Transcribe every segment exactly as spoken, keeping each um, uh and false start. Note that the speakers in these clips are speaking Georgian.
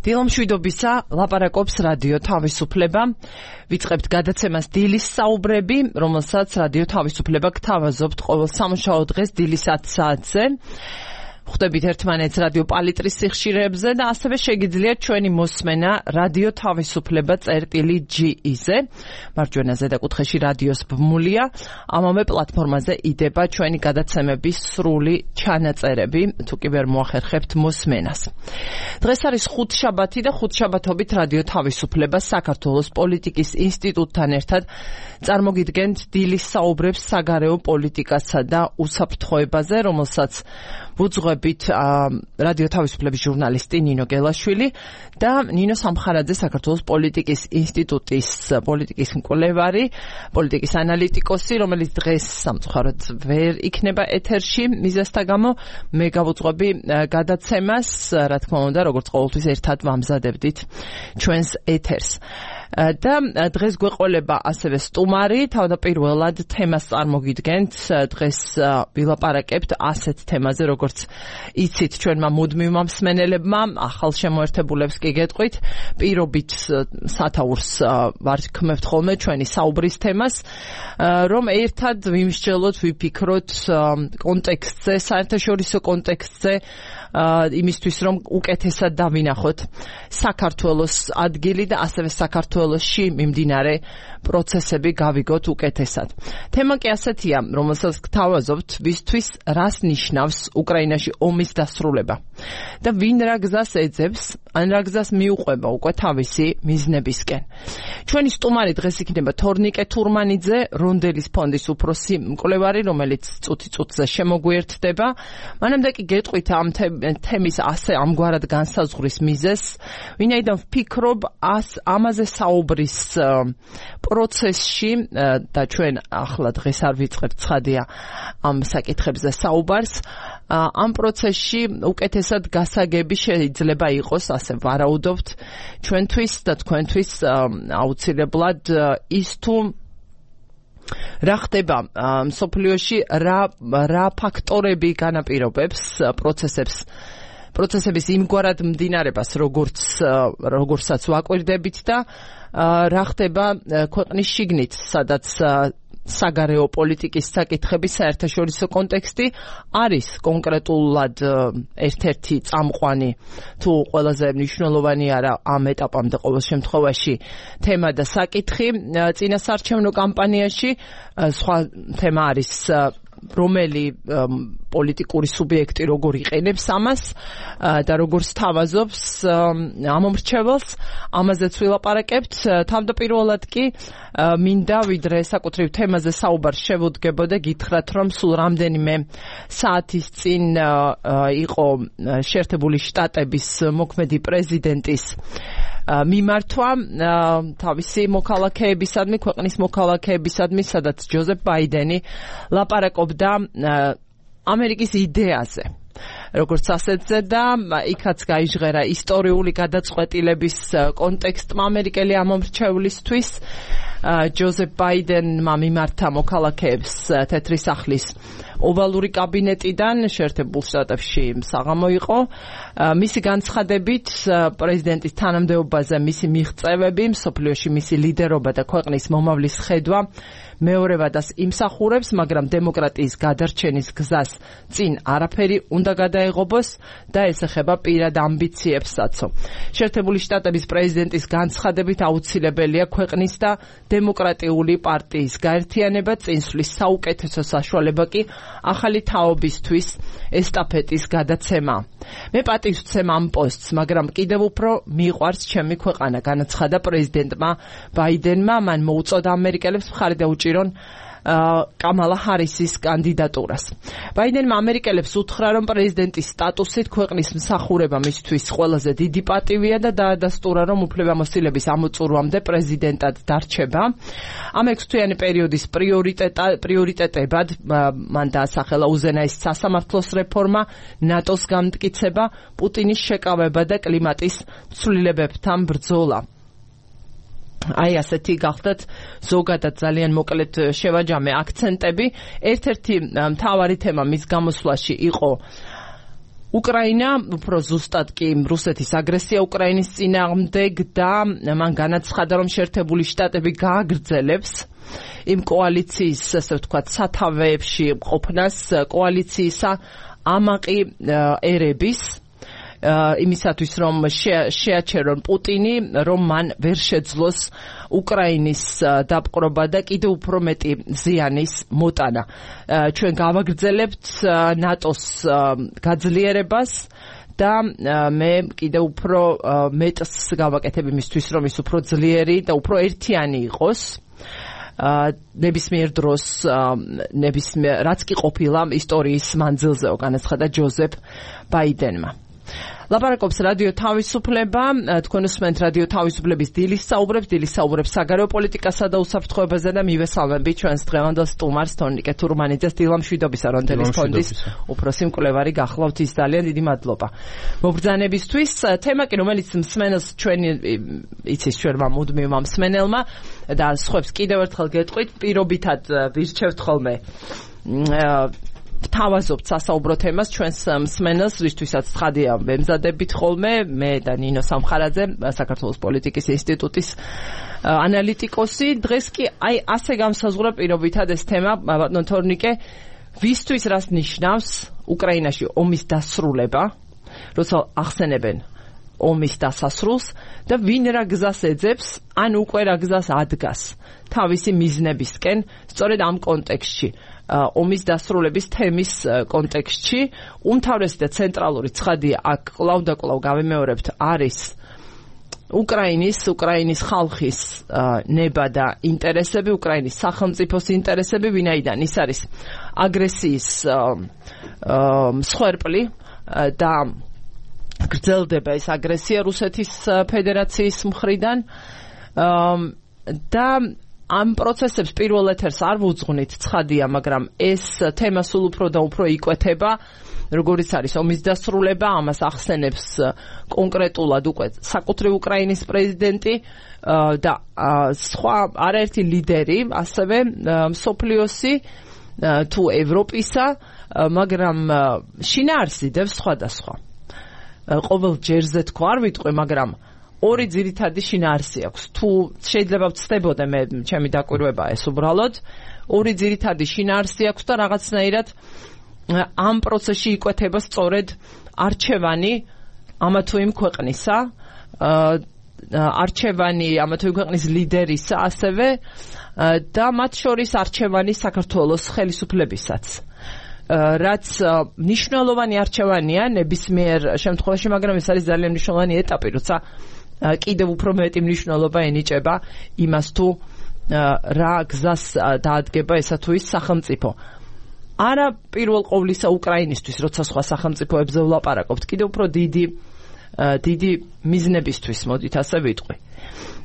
დილომშვიდობისა, ლაპარაკობს რადიო თავისუფლება. ვიწყებთ გადაცემას დილის საუბრები, რომელსაც რადიო თავისუფლება გთავაზობთ ყოველ სამუშაო დღეს დილის ათი საათზე. ხვდებით ერთმანეთს რადიო პალიტრის სიხშირეებზე და ასევე შეგიძლიათ ჩვენი მოსმენა რადიო თავისუფლება წერტილი ჯი-ზე. მარჯვენა ზედაკუთხეში რადიოს ბმულია. ამავე პლატფორმაზე იდება ჩვენი გადაცემების სრული ჩანაწერები, თუ კი ვერ მოახერხებთ მოსმენას. დღეს არის ხუთშაბათი და ხუთშაბათობით რადიო თავისუფლება საქართველოს პოლიტიკის ინსტიტუტთან ერთად წარმოგიდგენთ დილის საუბრებს საგარეო პოლიტიკასა და უსაფრთხოებაზე, რომელსაც ვუძღვებით რადიო თავისუფლების ჟურნალისტი ნინო გელაშვილი და ნინო სამხარაძე, საქართველოს პოლიტიკის ინსტიტუტის პოლიტიკის მკვლევარი, პოლიტიკის ანალიტიკოსი, რომელიც დღეს სამწუხაროდ ვერ იქნება ეთერში მიზეზთა გამო. მე გავუძღვები გადაცემას, რა თქმა უნდა, როგორც ყოველთვის ერთად ვამზადებდით ჩვენს ეთერს. და დღეს გვეყოლება ასევე სტუმარი, თავდაპირველად თემას წარმოგიდგენთ. დღეს ვილაპარაკებთ ასეთ თემაზე, როგორც იცით ჩვენმა მუდმივმა მსმენელებმა, ახალ შემოერთებულებს კი გეტყვით, პირობით სათაურს ვარქმევთ ხოლმე ჩვენი საუბრის თემას, რომ ერთად ვიმსჯელოთ, ვიფიქროთ კონტექსტზე, საერთაშორისო კონტექსტზე, იმისთვის რომ უკეთესად დავინახოთ საქართველოს ადგილი და ასევე საქართველოსში მიმდინარე პროცესები გავიგოთ უკეთესად. თემა კი ასეთია, რომელსაც გთავაზობთ, ვისთვის რას ნიშნავს უკრაინაში ომის დასრულება და ვინ რა გზას ეძებს, ან რა გზას მიუყვება უკვე თავისი მიზნებისკენ. ჩვენი სტუმარი დღეს იქნება თორნიკე თურმანიძე, რონდელის ფონდის უფროსი მკვლევარი, რომელიც წუთი წუთზე შემოგვიერთდება. მანამდე კი გეტყვით ამ თემის ასე ამგვარად განსაზღვრის მიზეზს, ვინაიდან ვფიქრობ ამაზე საუბრის პროცესში და ჩვენ ახლა დღეს არ ვიწყებთ ცხადია ამ საკითხებზე საუბარს, ამ პროცესში უკეთესად გასაგები შეიძლება იყოს, ასე ვარაუდობთ ჩვენთვის და თქვენთვის აუცილებლად ის თუ რა ხდება მსოფლიოში, რა რა ფაქტორები განაპირობებს პროცესებს პროცესების იმგვარად მდინარებას, როგორც როგორცაც ვაკვირდებით და რა ხდება ქვეყნის შიგნით, სადაც საგარეო პოლიტიკის საკითხების საერთაშორისო კონტექსტი არის კონკრეტულად ერთ-ერთი წამყვანი თუ ყველაზე მნიშვნელოვანი არა ამ ეტაპამდე ყოველ შემთხვევაში თემა და საკითხი წინასაარჩევნო კამპანიაში. სხვა თემა არის რომელი პოლიტიკური სუბიექტი როგორ იყენებს ამას და როგორ სთავაზობს ამომრჩეველს, ამაზეც ვილაპარაკებთ. თავდაპირველად კი მინდა ვიდრე საკუთრივ თემაზე საუბარს შევუდგებოდა, გითხრათ, რომ სულ რამდენიმე საათის წინ იყო შეერთებული შტატების მოქმედი პრეზიდენტის მიმართვა თავისი მოქალაქეებისადმი, ქვეყნის მოქალაქეებისადმი, სადაც ჯოზეფ ბაიდენი ლაპარაკობდა ამერიკის იდეაზე, როგორც ასეთზე და იქაც გაიჟღერა ისტორიული გადაწყვეტილების კონტექსტმა ამერიკელი ამომრჩევლისთვის. ჯოზეფ ბაიდენმა მიმართა მოქალაქეებს თეთრი სახლის ოვალური კაბინეტიდან შეერთებულ შტატებში საღამო იყო. მისი განცხადებით პრეზიდენტის თანამდებობაზე მისი მიღწევები, მსოფლიოში მისი ლიდერობა და ქვეყნის მომავლის ხედვა მეორე ვადას იმსახურებს, მაგრამ დემოკრატიის გადარჩენის გზას წინ არაფერი უნდა გადაეღობოს და ეს ეხება პირად ამბიციებსაც. შეერთებული შტატების პრეზიდენტის განცხადებით აუცილებელია ქვეყნის და დემოკრატიული პარტიის გაერთიანება, წინსვლის საუკეთესო საშუალება კი ახალი თაობისთვის ესტაფეტის გადაცემა. მე პატივს ვცემ ამ პოსტს, მაგრამ კიდევ უფრო მიყვარს ჩემი ქვეყანა, განაცხადა პრეზიდენტმა ბაიდენმა. მან მოუწოდა ამერიკელებს მხარი დაუჭირონ კამალა ჰარისის კანდიდატურას. ბაიდენმა ამერიკელებს უთხრა, რომ პრეზიდენტის სტატუსით ქვეყნის მსახურება მისთვის ყველაზე დიდი პატივია და დაადასტურა, რომ უფლებამოსილების ამოწურვამდე პრეზიდენტად დარჩება. ამ ექვსთვიანი პერიოდის პრიორიტეტებად მან დაასახელა უზენაესი სასამართლოს რეფორმა, ნატოს განმტკიცება, პუტინის შეკავება და კლიმატის ცვლილებებთან ბრძოლა. აი ასეთი გახდათ ზოგადად ძალიან მოკლედ შევაჯამე აქცენტები. ერთ-ერთი მთავარი თემა მის გამოსვლაში იყო უკრაინა უფრო ზუსტად კი რუსეთის აგრესია უკრაინის წინააღმდეგ და მან განაცხადა, რომ შეერთებული შტატები გააგრძელებს იმ კოალიციის, ასე ვთქვათ, სათავეებში ყოფნას, კოალიციისა ამაყი ერების იმისათვის, რომ შეაჩერონ პუტინი, რომ მან ვერ შეძლოს უკრაინის დაპყრობა და კიდევ უფრო მეტი ზიანის მოტანა. ჩვენ გავაგრძელებთ ნატოს გაძლიერებას და მე კიდევ უფრო მეტს გავაკეთებ იმისთვის, რომ ის უფრო ძლიერი და უფრო ერთიანი იყოს. ნებისმიერ დროს ნებისმიერ რაც კი ყოფილა ისტორიის მანძილზეო, განაცხადა ჯოზეფ ბაიდენმა. ლაპარაკობს რადიო თავისუფლება, თქვენ უსმენთ რადიო თავისუფლების დილის საუბრებს, დილის საუბრებს საგარეო პოლიტიკასა და უსაფრთხოებაზე და მივესალმები ჩვენს დღევანდელ სტუმარს თორნიკე თურმანიძეს, დილამშვიდობის არონთელის ფონდის უფროსი მკვლევარი გახლავთ, ის ძალიან დიდი მადლობა მობრძანებისთვის. თემა კი, რომელიც მსმენელს ჩვენი იცის ჩვენმა მუდმივმა მსმენელმა და სხვებს კიდევ ერთხელ გეტყვით, პირობითად ვირჩევთ ხოლმე ვთავაზობთ სასაუბრო თემას ჩვენს მსმენელს, ვისთვისაც ცხადია ვემზადებით ხოლმე, მე და ნინო სამხარაძე, საქართველოს პოლიტიკის ინსტიტუტის ანალიტიკოსი. დღეს კი აი ასე გამსაზღვრა პირობითად ეს თემა, ბატონო თორნიკე, ვისთვის რას ნიშნავს უკრაინაში ომის დასრულება, როცა ახსენებენ ომის დასასრულს და ვინ რა გზას ეძებს, ან უკვე რა გზას ადგას თავისი მიზნებისკენ, სწორედ ამ კონტექსტში. ომის დასრულების თემის კონტექსტში უმთავრესი და ცენტრალური ცხადია აქ კვლავ და კვლავ გავიმეორებთ არის უკრაინის უკრაინის ხალხის ნება და ინტერესები, უკრაინის სახელმწიფოს ინტერესები, ვინაიდან ის არის აგრესიის მსხვერპლი და გრძელდება ეს აგრესია რუსეთის ფედერაციის მხრიდან და ამ პროცესებს პირველ ეთერს არ ვუძღვნით, ცხადია, მაგრამ ეს თემა სულ უფრო და უფრო იკვეთება, როგორიც არის ომის დასრულება, ამას ახსენებს კონკრეტულად უკვე საკუთრივ უკრაინის პრეზიდენტი და სხვა არაერთი ლიდერი, ასევე მსოფლიოსი თუ ევროპისა, მაგრამ შინაარსი დევს სხვადასხვა. ყოველ ჯერზე თქვა არ ვიტყვი, მაგრამ ორი ძირითადი შინაარსი აქვს. თუ შეიძლება ვწდებოდე მე ჩემი დაკვირვება ეს უბრალოდ ორი ძირითადი შინაარსი აქვს და რაღაცნაირად ამ პროცესში იკვეთება სწორედ არჩევანი ამა თუ იმ ქვეყნისა, არჩევანი ამა თუ იმ ქვეყნის ლიდერისა, ასევე და მათ შორის არჩევანი საქართველოს ხელისუფლებისაც. რაც მნიშვნელოვანი არჩევანია ნებისმიერ შემთხვევაში, მაგრამ ეს არის ძალიან მნიშვნელოვანი ეტაპი, როცა კიდევ უფრო მეტი მნიშვნელობა ენიჭება იმას, თუ რა გზას დაადგება ესა თუ ის სახელმწიფო. არა პირველ ყოვლისა უკრაინისთვის, როცა სხვა სახელმწიფოებზე ვლაპარაკობთ, კიდევ უფრო დიდი დიდი მიზნებისთვის, მოდით ასე ვიტყვი.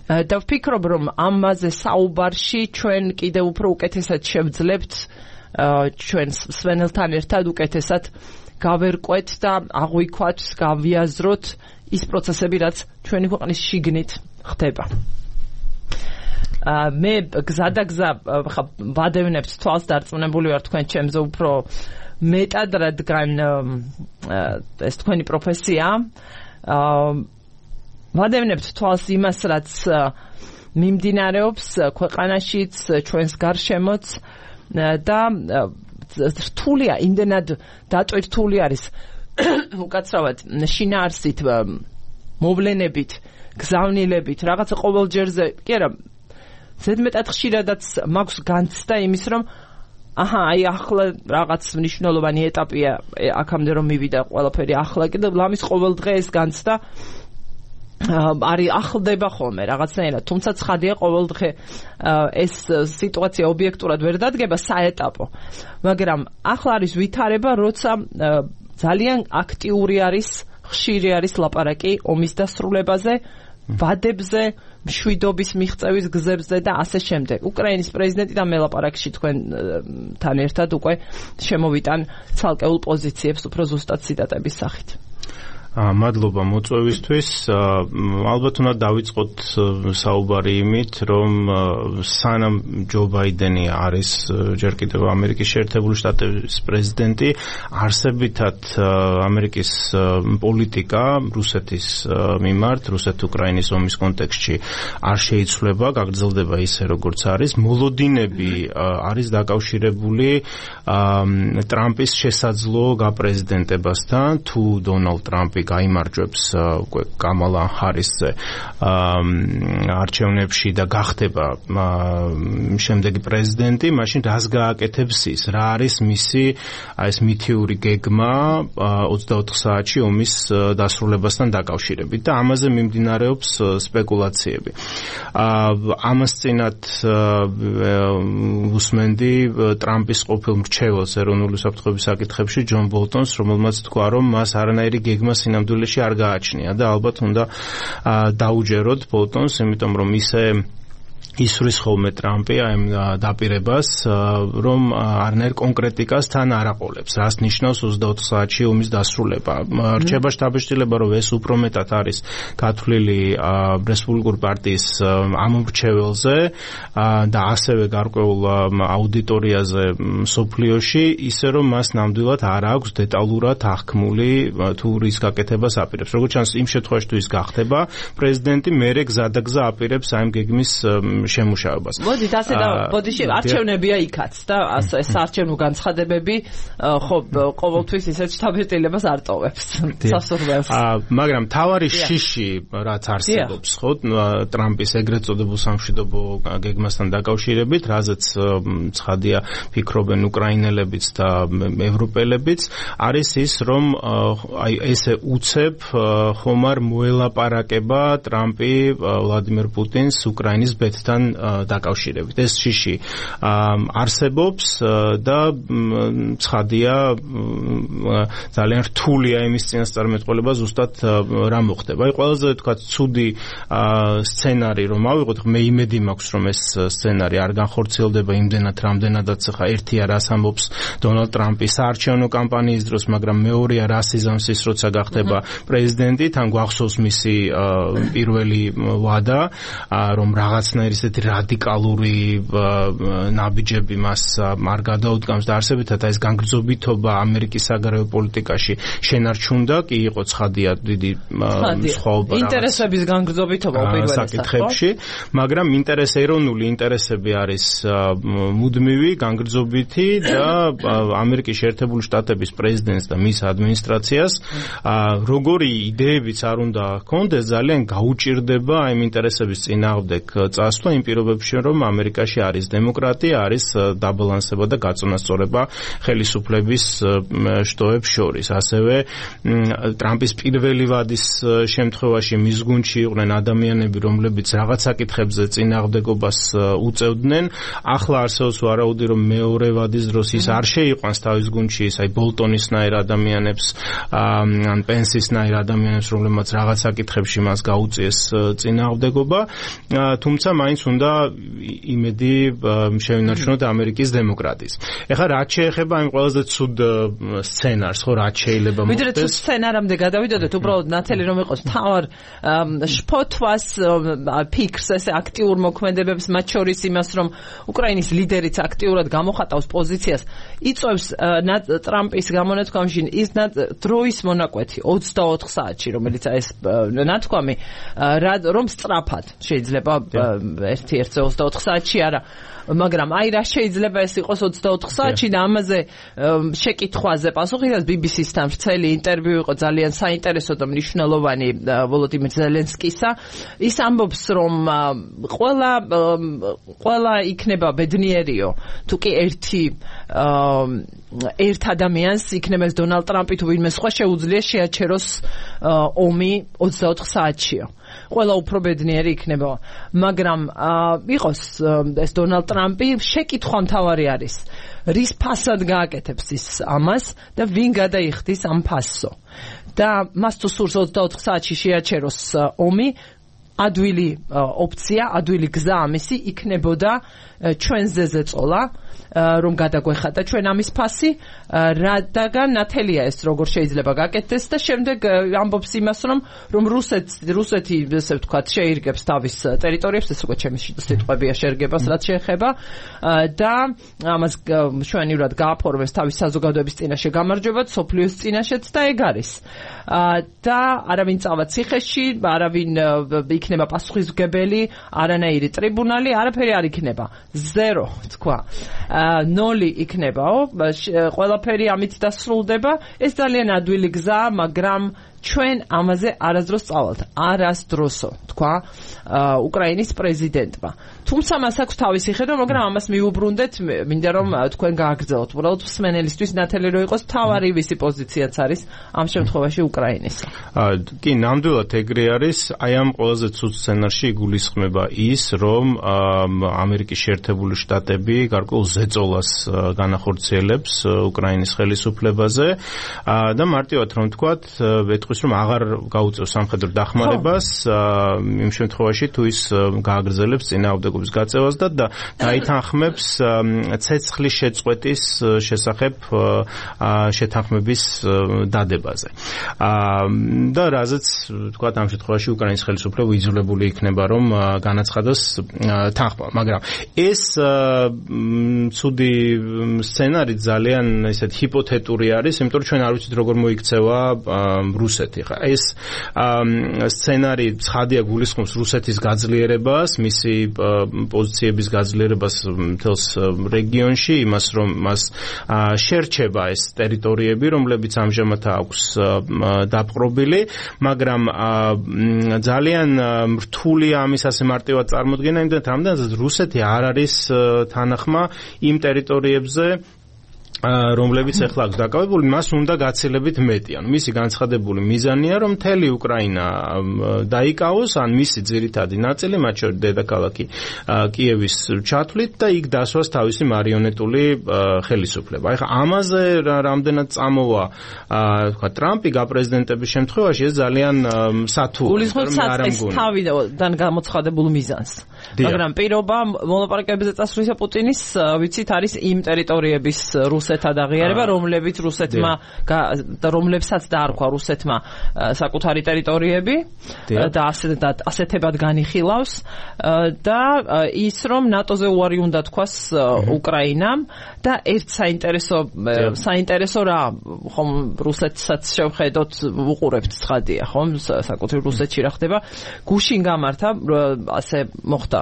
და ვფიქრობ, რომ ამაზე საუბარში ჩვენ კიდევ უფრო უკეთესად შევძლებთ ჩვენ მსმენელთან ერთად უკეთესად გავერკვეთ და აღვიქვათ, გავიაზროთ ის პროცესები, რაც ჩვენი ქვეყნის შიგნით ხდება. მე გზადაგზა ვადევნებთ თვალს, დარწმუნებული ვარ თქვენ ჩემზე უფრო მეტად, რადგან ეს თქვენი პროფესია. ვადევნებთ თვალს იმას, რაც მიმდინარეობს ქვეყანაშიც, ჩვენს გარშემოც და რთულია, იმდენად დატვირთული არის უკაცრავად შინაარსით, მოვლენებით, გზავნილებით, რაღაცა ყოველ ჯერზე, კი არა, ზედმეტად ხშირადაც მაქვს განცდა იმის, რომ აჰა, აი ახლა რაღაც მნიშვნელოვანი ეტაპია აქამდე რომ მივიდა ყველაფერი ახლა კიდე ლამის ყოველ დღე ეს განცდა არის ახლდება ხოლმე რაღაცნაირად, თუმცა ცხადია ყოველ დღე ეს სიტუაცია ობიექტურად ვერ დადგება საეტაპო, მაგრამ ახლა არის ვითარება, როცა ძალიან აქტიური არის, ხშირი არის ლაპარაკი ომის დასრულებაზე, ვადებზე, მშვიდობის მიღწევის გზებზე და ასე შემდეგ. უკრაინის პრეზიდენტი და მე ლაპარაკში თქვენთან ერთად უკვე შემოვიტან ცალკეულ პოზიციებს უფრო ზუსტად ციტატების სახით. მადლობა მოწვევისთვის. ალბათ უნდა დავიწყოთ საუბარი იმით, რომ სანამ ჯო ბაიდენი არის ჯერ კიდევ ამერიკის შეერთებული შტატების პრეზიდენტი, არსებითად ამერიკის პოლიტიკა რუსეთის მიმართ, რუსეთ-უკრაინის ომის კონტექსტში არ შეიცვლება, გაგრძელდება ისე როგორც არის. მოლოდინები არის დაკავშირებული ტრამპის შესაძლო გაპრეზიდენტებასთან, თუ დონალდ ტრამპი გაიმარჯვებს კამალა ჰარისზე არჩევნებში და გახდება შემდეგი პრეზიდენტი, მაშინ რას გააკეთებს ის? რა არის მისი ეს მითიური გეგმა ოცდაოთხ საათში ომის დასრულებასთან დაკავშირებით და ამაზე მიმდინარეობს სპეკულაციები. ამას წინათ უსმენდი ტრამპის ყოფილ მრჩეველს ეროვნული უსაფრთხოების საკითხებში ჯონ ბოლტონს, რომელმაც თქვა, რომ მას არანაირი გეგმა სინამდვილეში არ გააჩნია და ალბათ უნდა დაუჯეროთ ბოლტონს, იმიტომ რომ ისე ისვრის ხოლმე ტრამპი აი დაპირებას, რომ არნაირ კონკრეტიკას თან არ აყოლებს. რას ნიშნავს ოცდაოთხ საათში ომის დასრულება? რჩება შთაბეჭდილება, რომ ეს უფრო მეტად არის გათვლილი რესპუბლიკური პარტიის ამომრჩეველზე და ასევე გარკვეულ აუდიტორიაზე მსოფლიოში, ისე რომ მას ნამდვილად არ აქვს დეტალურად აღქმული თუ რის გაკეთებას აპირებს. როგორც ჩანს, იმ შემთხვევაში თუ ის გახდება პრეზიდენტი, მერე გზადაგზა აპირებს აი ამ გეგმის შემუშავებას. მოდით ასე და ბოდიში არჩევნებია იქაც და ეს არჩევნო განცხადებები ხო ყოველთვის ისეთ შთაბეჭდილებას არ ტოვებს სასურველს. მაგრამ თავარი შიში რაც არსებობს ხო ტრამპის ეგრეთ წოდებულ სამშვიდობო გეგმასთან დაკავშირებით, რაზეც ცხადია ფიქრობენ უკრაინელებიც და ევროპელებიც, არის ის, რომ აი ესე უცებ ხომარ მოელაპარაკება ტრამპი ვლადიმერ პუტინს უკრაინის ბედთან დაკავშირებით. ეს შიში არსებობს და ცხადია ძალიან რთულია იმის წინასწარმეტყველება ზუსტად რა მოხდება. აი ყველაზე თქვა ცუდი სცენარი რომ ავიღოთ, მე იმედი მაქვს რომ ეს სცენარი არ განხორციელდება იმდენად რამდენადაც ხა ერთია რას ამბობს დონალდ ტრამპი საარჩევნო კამპანიის დროს, მაგრამ მეორეა რას იზამს ის როცა გახდება პრეზიდენტი, თან გვახსოვს მისი პირველი ვადა, რომ რაღაცნაირი ესეთი რადიკალური ნაბიჯები მას არ გადაუდგამს და არსებითად ეს განგრძობითობა ამერიკის საგარეო პოლიტიკაში შენარჩუნდა, კი იყო ცხადია დიდი სხვაობა ინტერესების განგრძობითობა საკითხებში, მაგრამ ინტერესი ეროვნული ინტერესები არის მუდმივი, განგრძობითი და ამერიკის შეერთებული შტატების პრეზიდენტს და მის ადმინისტრაციას როგორი იდეებიც არ უნდა ჰქონდეს, ძალიან გაუჭირდება ამ ინტერესების წინააღმდეგ წასვლა იმ პირობებში, რომ ამერიკაში არის დემოკრატია, არის დაბალანსება და გაწონასწორება ხელისუფლების შტოებს შორის. ასევე ტრამპის პირველი ვადის შემთხვევაში მის გუნდში იყვნენ ადამიანები, რომლებიც რაღაც საკითხებზე წინააღმდეგობას უწევდნენ. ახლა არსებობს ვარაუდი, რომ მეორე ვადის დროს ის არ შეიყვანს თავის გუნდში ის აი ბოლტონისნაირ ადამიანებს ან პენსისნაირ ადამიანებს, რომლებმაც რაღაც საკითხებში მას გაუწიეს წინააღმდეგობა, თუმცა მაინც უნდა იმედი შევინარჩუნოთ ამერიკის დემოკრატიის. ეხლა რაც შეეხება იმ ყველაზე ცუდ სცენარს, ხო, რაც შეიძლება მოხდეს. ვიდრე თუ სცენარამდე გადავიდოდეთ, უბრალოდ ნათელი რომ იყოს თავარ შფოთვას ფიქრს, ესე აქტიურ მოქმედებებს, მათ შორის იმას, რომ უკრაინის ლიდერიც აქტიურად გამოხატავს პოზიციას, იწვევს ტრამპის გამონათქვამში ის დროის მონაკვეთი ოცდაოთხ საათში, რომელიც ეს ნათქვამი რომ სწრაფად შეიძლება ერთი ერთზე ოცდაოთხ საათში არა, მაგრამ აი რა შეიძლება ეს იყოს ოცდაოთხ საათში და ამაზე შეკითხვაზე პასუხი და ბი ბი სის-თან ვრცელი ინტერვიუ იყო ძალიან საინტერესო და მნიშვნელოვანი ვოლოდიმირ ზელენსკისა. ის ამბობს, რომ ყველა ყველა იქნება ბედნიერიო თუ კი ერთი ერთ ადამიანს იქნება ეს დონალდ ტრამპი თუ ვინმე სხვა შეუძლია შეაჩეროს ომი ოცდაოთხ საათშიო. ყველა უფრო ბედნიერი იქნება, მაგრამ იყოს ეს დონალდ ტრამპი, შეკითხვა მთავარი არის, რის ფასად გააკეთებს ის ამას და ვინ გადაიხდის ამ ფასსო. და მას თუ სურს ოცდაოთხ საათში შეაჩეროს ომი, ადვილი ოპცია, ადვილი გზა ამისი იქნებოდა ჩვენზე ზეწოლა, რომ გადაგვეხადა ჩვენ ამის ფასი, რადგან ნათელია ეს როგორ შეიძლება გაკეთდეს და შემდეგ ამბობს იმას, რომ რომ რუსეთი რუსეთი ესე ვთქვათ შეირგებს თავის ტერიტორიებს, ეს უკვე ჩემი სიტყვებია შეერგებას რაც შეეხება და ამას ჩვენივრად გააფორმეს თავის საზოგადოების წინაშე გამარჯვებად, სოფლიოს წინაშეც და ეგ არის. და არავინ წავა ციხეში, არავინ იქნება პასუხისმგებელი, არანაირი ტრიბუნალი, არაფერი არ იქნება. ზერო თქვა. ნოლი იქნებაო, ყველაფერი ამით დასრულდება. ეს ძალიან ადვილი გზაა, მაგრამ ჩვენ ამაზე არასდროს წავალთ. არასდროსო, თქვა უკრაინის პრეზიდენტმა. თუმცა მას აქვს თავისი ხედვა, მაგრამ ამას მიუბრუნდეთ, მინდა რომ თქვენ გააგრძელოთ. უბრალოდ მსმენელისთვის ნათელი რო იყოს, თავარი ვისი პოზიციაც არის ამ შემთხვევაში უკრაინისა. კი, ნამდვილად ეგრე არის. აი ამ ყველაზე ცუდ სცენარში იგულისხმება ის, რომ ამერიკის შეერთებული შტატები გარკვეულ ზეწოლას განახორციელებს უკრაინის ხელისუფლებაზე და მარტივად რომ ვთქვათ, ეტყვის რომ აღარ გაუწევს სამხედრო დახმარებას იმ შემთხვევაში თუ ის გააგრძელებს წინააღმდეგობის გაწევას და დაითანხმებს ცეცხლის შეწყვეტის შესახებ შეთანხმების დადებაზე. და რაზეც ვთქვათ ამ შემთხვევაში უკრაინის ხელისუფლება იძულებული იქნება რომ განაცხადოს თანხმობა, მაგრამ ეს ცუდი სცენარი ძალიან ესეთ ჰიპოთეტური არის, იმიტომ რომ ჩვენ არ ვიცით როგორ მოიქცევა რუსეთი. ხა ეს სცენარი ცხადია გულისხმობს რუსეთის გაძლიერებას, მისი პოზიციების გაძლიერებას მთელს რეგიონში, იმას რომ მას შერჩება ეს ტერიტორიები, რომლებიც ამჟამად აქვს დაპყრობილი, მაგრამ ძალიან რთულია ამის ასე მარტივად წარმოდგენა, იმდენად რამდენადაც რუსეთი არ არის თანახმა იმ ტერიტორიებზე, რომლებიც ახლა აქვს დაკავებული, მას უნდა გაცილებით მეტი. ანუ მისი განცხადებული მიზანია, რომ მთელი უკრაინა დაიკავოს, ან მისი ძირითადი ნაწილი, მათ შორის დედაქალაქი კიევის ჩათვლით და იქ დასვას თავისი მარიონეტული ხელისუფლება. ახლა ამაზე რამდენად წამოვა თქვა ტრამპი გაპრეზიდენტების შემთხვევაში, ეს ძალიან სათუა. გულისხმობს საწყის თავიდან გამოცხადებულ მიზანს. მაგრამ პირობა მოლაპარაკებებზე წასვლისა პუტინის, ვიცით, არის იმ ტერიტორიების რუსეთად აღიარება, რომლებიც რუსეთმა და რომლებსაც დაარქვა რუსეთმა საკუთარი ტერიტორიები და ასეთებად განიხილავს და ის რომ ნატოზე უარი უნდა თქვას უკრაინამ და ერთ საინტერესო საინტერესო რა ხომ რუსეთსაც შევხედოთ, უყურებთ ცხადია ხომ საკუთრივ რუსეთში რა ხდება, გუშინ გამართა ასე მოხდა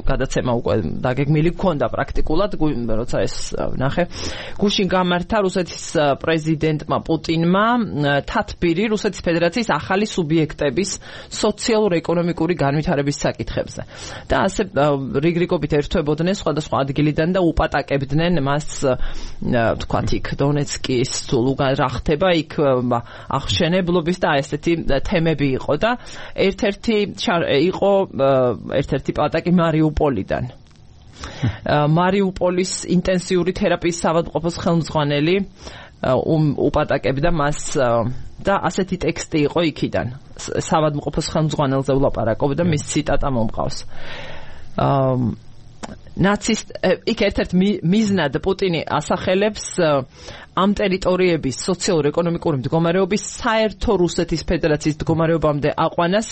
გადაცემა უკვე დაგეგმილი გქონდა პრაქტიკულად, როცა ეს ნახე, გუშინ გამართა რუსეთის პრეზიდენტმა პუტინმა თათბირი რუსეთის ფედერაციის ახალი სუბიექტების სოციალურ-ეკონომიკური განვითარების საკითხებზე და ასე რიგრიგობით ერთვებოდნენ სხვადასხვა ადგილიდან და უპატაკებდნენ მას, თქვათ იქ დონეცკის ლუგან რა ხდება იქ აღშენებლობის და ესეთი თემები იყო და ერთ-ერთი იყო ერთ-ერთი პატაკი მარიუპოლიდან. მარიუპოლის ინტენსიური თერაპიის საავადმყოფოს ხელმძღვანელი უპატაკებდა მას და ასეთი ტექსტი იყო იქიდან. საავადმყოფოს ხელმძღვანელზე ვლაპარაკობდა, მის ციტატა მომყავს. ნაცისტ იქ ერთ-ერთ მიზნად პუტინი ასახელებს ამ ტერიტორიების სოციალურ-ეკონომიკური მდგომარეობის საერთო რუსეთის ფედერაციის მდგომარეობამდე აყვანას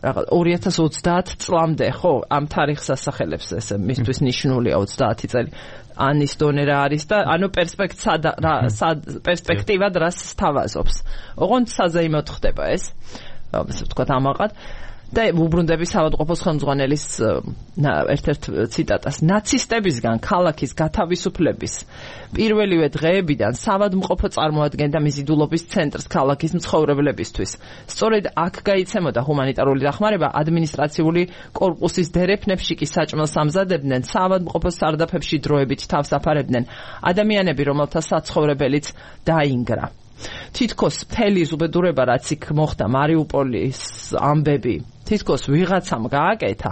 ორი ათას ოცდაათ წლამდე, ხო, ამ თარიღს ასახელებს, ეს მისთვის ნიშნულია ოცდაათი წელი. ანის დონე რა არის და ანუ პერსპექტივად რას სთავაზობს. ოღონდ საზეიმოდ ხდება ეს, ასე ვთქვათ ამაყად. და უბრუნდები საავადმყოფოს ხელმძღვანელის ერთ-ერთ ციტატას. ნაცისტებისგან ქალაქის გათავისუფლების პირველივე დღეებიდან საავადმყოფო წარმოადგენდა მიზიდულობის ცენტრს ქალაქის მცხოვრებლებისთვის. სწორედ აქ გაიცემოდა ჰუმანიტარული დახმარება, ადმინისტრაციული კორპუსის დერეფნებში კი საჭმელს ამზადებდნენ, საავადმყოფო სარდაფებში დროებით თავს აფარებდნენ ადამიანები, რომელთა საცხოვრებელიც დაინგრა. თითქოს მთელი ზუბედურება, რაც იქ მოხდა, მარიუპოლის ამბები, თითქოს ვიღაცამ გააკეთა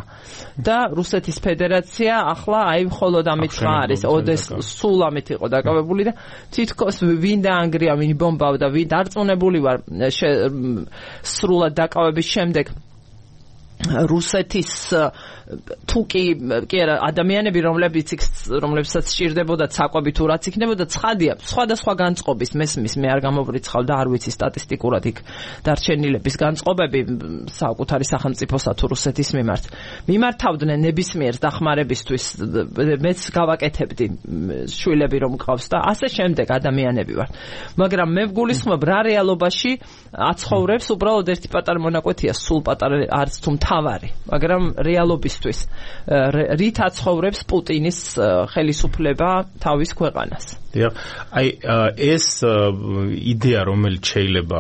და რუსეთის ფედერაცია ახლა აი მხოლოდ ამით არის, ოდეს სულ ამით იყო დაკავებული და თითქოს ვინ დაანგრია, ვინ ბომბავდა, ვინ დარწმუნებული ვარ სრულად დაკავების შემდეგ რუსეთის თუკი კი არა ადამიანები რომლებიც რომლებსაც სჭირდებოდა საკვები თუ რაც იქნებოდა ცხადია სხვადასხვა განწყობის მესმის მე არ გამოვრიცხავ და არ ვიცი სტატისტიკურად იქ დარჩენილების განწყობები საკუთარი სახელმწიფოსა თუ რუსეთის მიმართ მიმართავდნენ ნებისმიერ დახმარებისთვის მეც გავაკეთებდი შვილები რომ მყავს და ასე შემდეგ ადამიანები ვარ მაგრამ მე ვგულისხმობ რა რეალობაში აცხოვრებს უბრალოდ ერთი პატარა მონაკვეთია სულ პატარა არც თუ მთავარი მაგრამ რეალობისთვის რით აცხოვრებს პუტინის ხელისუფლება თავის ქვეყანას დიახ აი ეს იდეა რომელიც შეიძლება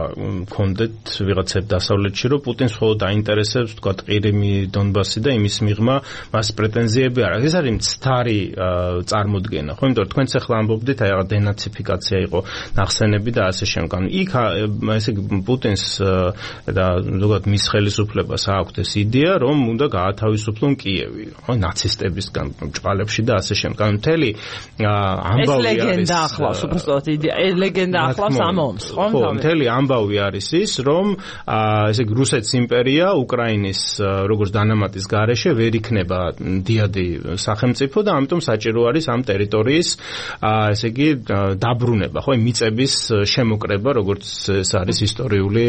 გქონდეთ ვიღაცებ დასავლეთში რომ პუტინს მხოლოდ აინტერესებს თქვა ყირიმი დონბასი და იმის მიღმა მას პრეტენზიები არ აქვს ეს არის მცდარი წარმოდგენა ხო იმიტომ რომ თქვენც ახლა ამბობდით აი რაღაც დენაციფიკაცია იყო ნახსენები და ასე შემდგომ იქ ესე პუტინს და ზოგადად მის ხელისუფლებას აქვს ეს იდეა რომ უნდა გაათავისუფლონ კიევი ხო ნაცისტებისგან ჭყალებში და ასე შემდგომ მთელი ამბავი და ახლავს უბრალოდ იდეა ლეგენდა ახლავს ამომს ხო ხო მთელი ამბავი არის ის რომ ესე იგი რუსეთის იმპერია უკრაინის როგორც დანამატის გარეშე ვერ იქნება დიადი სახელმწიფო და ამიტომ საჭირო არის ამ ტერიტორიის ესე იგი დაბრუნება ხო მიწების შემოკრება როგორც ეს არის ისტორიული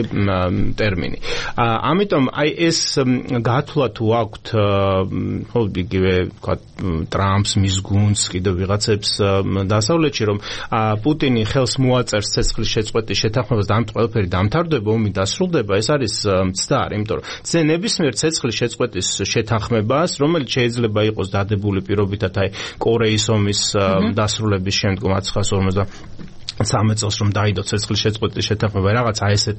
ტერმინი ამიტომ აი ეს გათვლა თუ აქვთ ხო იგივე თქვა ტრამპს მის გუნდს კიდევ ვიღაცებს დასავლეთში რომ პუტინი ხელს მოაწერს ცეცხლის შეწყვეტის შეთანხმებას და ამ ყველაფერი დამთავრდება ომი დასრულდება ეს არის მცდარი იმიტომ რომ ზე ნებისმიერ ცეცხლის შეწყვეტის შეთანხმებას რომელიც შეიძლება იყოს დადებული პირობითად აი კორეის ომის დასრულების შემდგომ ათას ცხრაასი ორმოცდასამი წელს რომ დაიდო ცეცხლის შეწყვეტის შეთანხმება რაღაცა ესეთ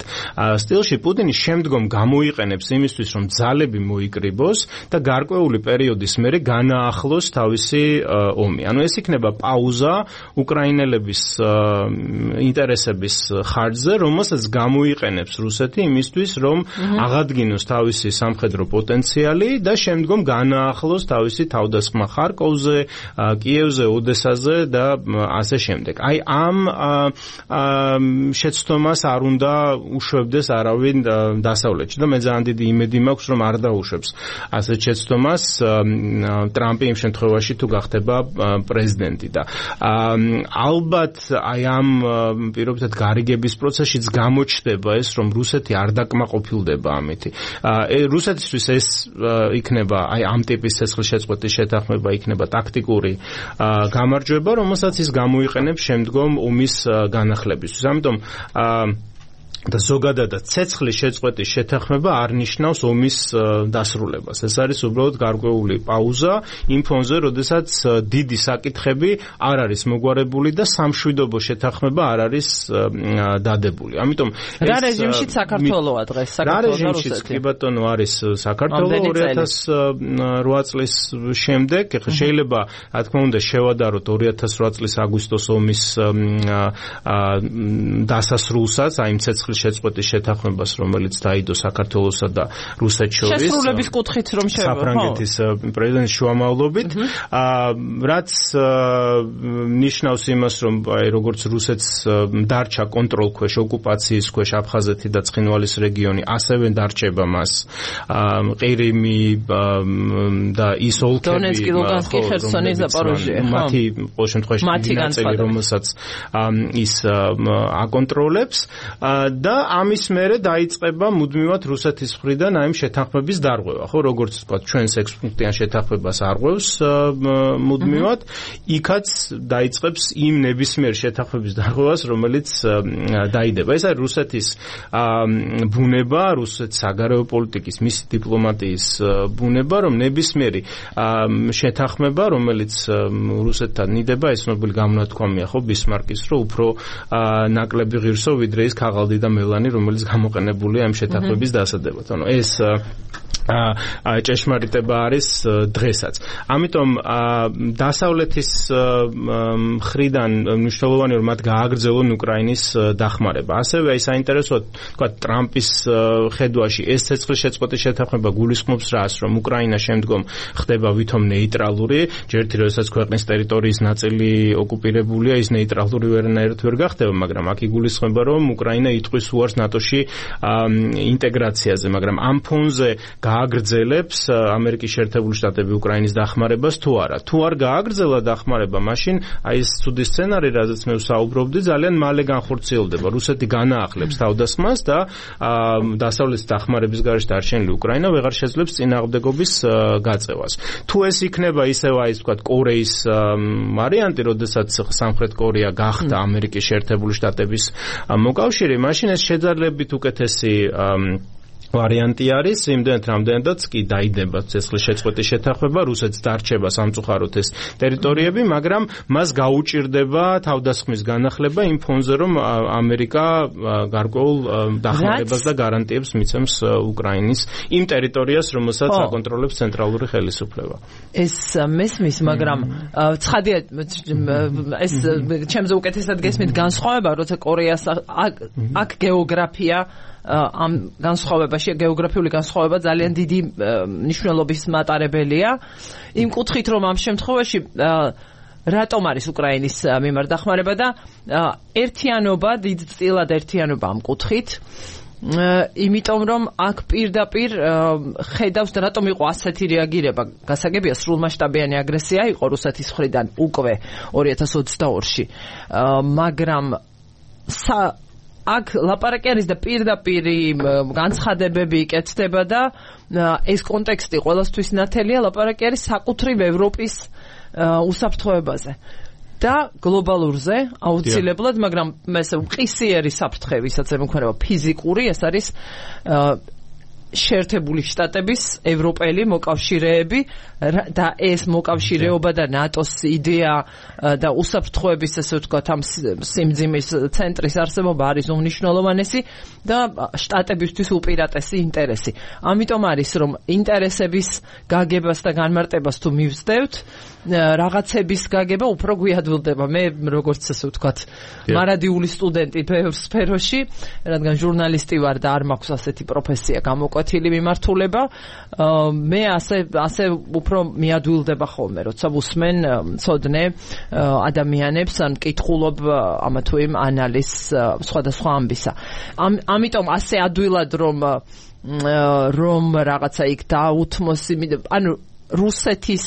სტილში პუტინი შემდგომ გამოიყენებს იმისთვის რომ ძალები მოიკრიბოს და გარკვეული პერიოდის მერე განაახლოს თავისი ომი. ანუ ეს იქნება პაუზა უკრაინელების ინტერესების ხარჯზე, რომელსაც გამოიყენებს რუსეთი იმისთვის რომ აღადგინოს თავისი სამხედრო პოტენციალი და შემდგომ განაახლოს თავისი თავდასხმა ხარკოვზე, კიევზე, ოდესაზე და ასე შემდეგ. აი ამ შეცდომას არ უნდა უშვებდეს არავინ დასავლეთში და მე ძალიან დიდი იმედი მაქვს რომ არ დაუშვებს ასეთ შეცდომას ტრამპი იმ შემთხვევაში თუ გახდება პრეზიდენტი და ალბათ აი ამ პირობითად გარიგების პროცესშიც გამოჩნდება ეს რომ რუსეთი არ დაკმაყოფილდება ამით რუსეთისთვის ეს იქნება აი ამ ტიპის ცეცხლის შეწყვეტის შეთანხმება იქნება ტაქტიკური გამარჯვება რომელსაც ის გამოიყენებს შემდგომ ომის განახლებისთვის. ამიტომ და ზოგადადაც ცეცხლის შეწყვეტის შეთანხმება არ ნიშნავს ომის დასრულებას. ეს არის უბრალოდ გარკვეული პაუზა იმ ფონზე, როდესაც დიდი საკითხები არ არის მოგვარებული და სამშვიდობო შეთანხმება არ არის დადებული. ამიტომ რა რეჟიმშიც საქართველოა დღეს საქართველოს და რუსეთი. კი ბატონო არის საქართველო ორი ათას რვა წლის შემდეგ. ეხლა შეიძლება რა თქმა უნდა შევადაროთ ორი ათას რვა წლის აგვისტოს ომის დასასრულსაც, აი ცეცხლის შეწყვეტის შეთანხმებას, რომელიც დაიდო საქართველოსა და რუსეთს შორის. შესრულების კუთხით რომ შევა, ხო? საფრანგეთის პრეზიდენტის შუამავლობით, რაც ნიშნავს იმას, რომ აი როგორც რუსეთს დარჩა კონტროლქვეშ, ოკუპაციის ქვეშ აფხაზეთი და ცხინვალის რეგიონი, ასევე დარჩება მას ყირიმი და ის ოლქები, დონეცკი, ლუგანსკი, ხერსონი, ზაპოროჟიე, ხო? მათი ყოველ შემთხვევაში ნაწილი, რომელსაც ის აკონტროლებს და ამის მერე დაიწყება მუდმივად რუსეთის მხრიდან აი შეთანხმების დარღვევა, ხო, როგორც თქვა, ჩვენს ექვს პუნქტიან შეთანხმებას არღვევს მუდმივად, იქაც დაიწყებს იმ ნებისმიერ შეთანხმების დარღვევას, რომელიც დაიდება. ეს არის რუსეთის ბუნება, რუსეთის საგარეო პოლიტიკის, მისი დიპლომატიის ბუნება, რომ ნებისმიერი შეთანხმება, რომელიც რუსეთთან ниდება, ეს ნობელი გამონათქვამია, ხო, ბისმარკის, რომ უფრო ნაკლები ღირსო ვიდრე ის ქაღალდი და მელანი, რომელიც გამოყენებულია ამ შეთანხმების დასადებად. ანუ ეს ჭეშმარიტება არის დღესაც. ამიტომ დასავლეთის მხრიდან მნიშვნელოვანია რომ მათ გააგრძელონ უკრაინის დახმარება. ასევე აი საინტერესოა თქვა ტრამპის ხედვაში ეს ცეცხლის შეწყვეტის შეთანხმება გულისხმობს რას, რომ უკრაინა შემდგომ ხდება ვითომ ნეიტრალური, ჯერთი როდესაც ქვეყნის ტერიტორიის ნაწილი ოკუპირებულია, ის ნეიტრალური ვერანაირად ვერ გახდება, მაგრამ აქ იგულისხმება რომ უკრაინა იტყვის არის უარს ნატოში ინტეგრაციაზე, მაგრამ ამ ფონზე გააგრძელებს ამერიკის შეერთებული შტატები უკრაინის დახმარებას თუ არა. თუ არ გააგრძელა დახმარება, მაშინ აი ეს ცუდი სცენარი, რაზეც მე ვსაუბრობდი, ძალიან მალე განხორციელდება. რუსეთი განაახლებს თავდასხმას და დასავლეთის დახმარების გარეშე დარჩენილი უკრაინა ვეღარ შეძლებს წინააღმდეგობის გაწევას. თუ ეს იქნება ისევ აი ვთქვათ კორეის ვარიანტი, როდესაც სამხრეთ კორეა გახდა ამერიკის შეერთებული შტატების მოკავშირე, მაშინ ეს შეძალებით უკეთესი ვარიანტი არის, იმდენად რამდენადაც კი დაიდება ცეცხლის შეწყვეტის შეთანხმება, რუსეთს დარჩება სამწუხაროდ ეს ტერიტორიები, მაგრამ მას გაუჭირდება თავდასხმის განახლება იმ ფონზე, რომ ამერიკა გარკვეულ დახმარებას და გარანტიებს მიცემს უკრაინის იმ ტერიტორიას, რომელსაც აკონტროლებს ცენტრალური ხელისუფლება. ეს მესმის, მაგრამ ცხადია ეს ჩემზე უკეთესად გესმით განსხვავება, როცა კორეას აქ გეოგრაფია ამ განსხვავებაში გეოგრაფიული განსხვავება ძალიან დიდი მნიშვნელობის მატარებელია იმ კუთხით, რომ ამ შემთხვევაში რატომ არის უკრაინის მიმართ დახმარება და ერთიანობა, დიდწილად ერთიანობა ამ კუთხით, იმიტომ რომ აქ პირდაპირ ხედავს და რატომ იყო ასეთი რეაგირება. გასაგებია, სრულმასშტაბიანი აგრესია იყო რუსეთის მხრიდან უკვე ორი ათას ოცდაორში, მაგრამ აქ ლაპარაკი არის და პირდაპირი განცხადებები იკეთდება და ეს კონტექსტი ყველასთვის ნათელია, ლაპარაკი არის საკუთრივ ევროპის უსაფრთხოებაზე და გლობალურზე აუცილებლად, მაგრამ ესე მყისიერი საფრთხე, ვისაც ემუქრება ფიზიკური, ეს არის შეერთებული შტატების ევროპელი მოკავშირეები და ეს მოკავშირეობა და ნატოს იდეა და უსაფრთხოების, ესე ვთქვათ, ამ სიმძიმის ცენტრის არსებობა არის უმნიშვნელოვანესი და შტატებისთვის უპირატესი ინტერესი. ამიტომ არის, რომ ინტერესების გაგებას და განმარტებას თუ მივსდევთ, რაღაცების გაგება უფრო გვიადვილდება. მე როგორც ესე ვთქვათ, მარადიული სტუდენტი ბევრ სფეროში, რადგან ჟურნალისტი ვარ და არ მაქვს ასეთი პროფესია გამოკვეთილი მიმართულება, მე ასე ასე უფრო მიადვილდება ხოლმე, როცა ვუსმენ მცოდნე ადამიანებს ან მკითხულობ ამა თუ იმ ანალიზს სხვადასხვა ამბისა. ამიტომ ასე ადვილად რომ რომ რაღაცა იქ დაუთმოს, ანუ რუსეთის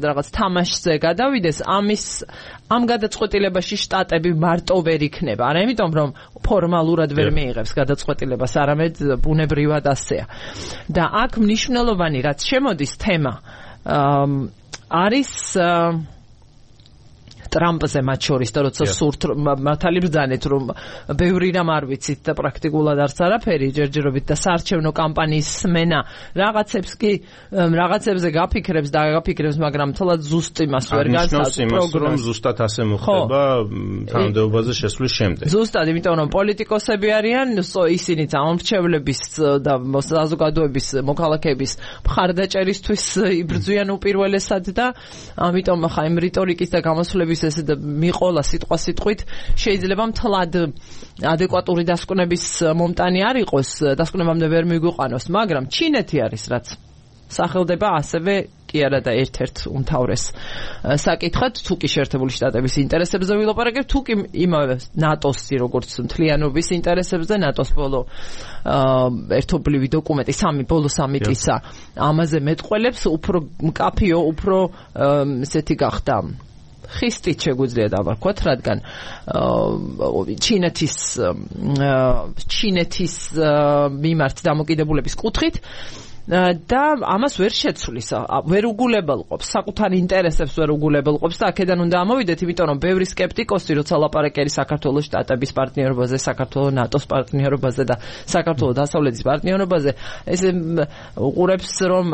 რაღაც თამაშზე გადავიდეს, ამის ამ გადაწყვეტილებაში შტატები მარტო ვერ იქნება. არა იმიტომ, რომ ფორმალურად ვერ მიიღებს გადაწყვეტილებას, არამედ ბუნებრივად ასეა. და აქ მნიშვნელოვანი რაც შემოდის თემა არის ტრამპზე მათ შორის და როცა სურთ მართალი ბრძანეთ, რომ ბევრი რამ არ ვიცით და პრაქტიკულად არც არაფერი, ჯერჯერობით და საარჩევნო კამპანიის სმენა რაღაცებს კი რაღაცებზე გაფიქრებს და გაფიქრებს, მაგრამ თლად ზუსტ იმას ვერ გასწავლის პროგნოზს. ზუსტად ასე მოხდება თანამდებობაზე შესვლის შემდეგ. ზუსტად, იმიტომ რომ პოლიტიკოსები არიან, ისინიც ამორჩევლების და საზოგადოების მოქალაქეების მხარდაჭერისთვის იბრძვიან უპირველესად და ამიტომ ხა იმ რიტორიკის და გამოსვლების ესე და მიყოლა სიტყვა სიტყვით შეიძლება მთლად ადეკვატური დასკვნების მომტანი არ იყოს, დასკვნებამდე ვერ მიგვიყვანოს, მაგრამ ჩინეთი არის რაც სახელდება ასევე კი არა და ერთ-ერთ უმთავრეს საკითხად, თუ კი შეერთებული შტატების ინტერესებზე ვილაპარაკებთ, თუ კი იმავე ნატოს როგორც მთლიანობის ინტერესებზე, ნატოს ბოლო ერთობლივი დოკუმენტი, სამი ბოლო სამიტისა ამაზე მეტყველებს, უფრო მკაფიო, უფრო ესეთი გახდა ხისტით შეგვიძლია დავარქვათ, რადგან ჩინეთის ჩინეთის მიმართ დამოკიდებულების კუთხით და ამას ვერ შეცვლის, ვერ უგულებელყოფს, საკუთარ ინტერესებს ვერ უგულებელყოფს და აქედან უნდა ამოვიდეთ, იმიტომ რომ ბევრი სკეპტიკოსი, როცა ლაპარაკი არის საქართველოს შტატების პარტნიორობაზე, საქართველოს ნატოს პარტნიორობაზე და საქართველოს დასავლეთის პარტნიორობაზე, ესე უყურებს, რომ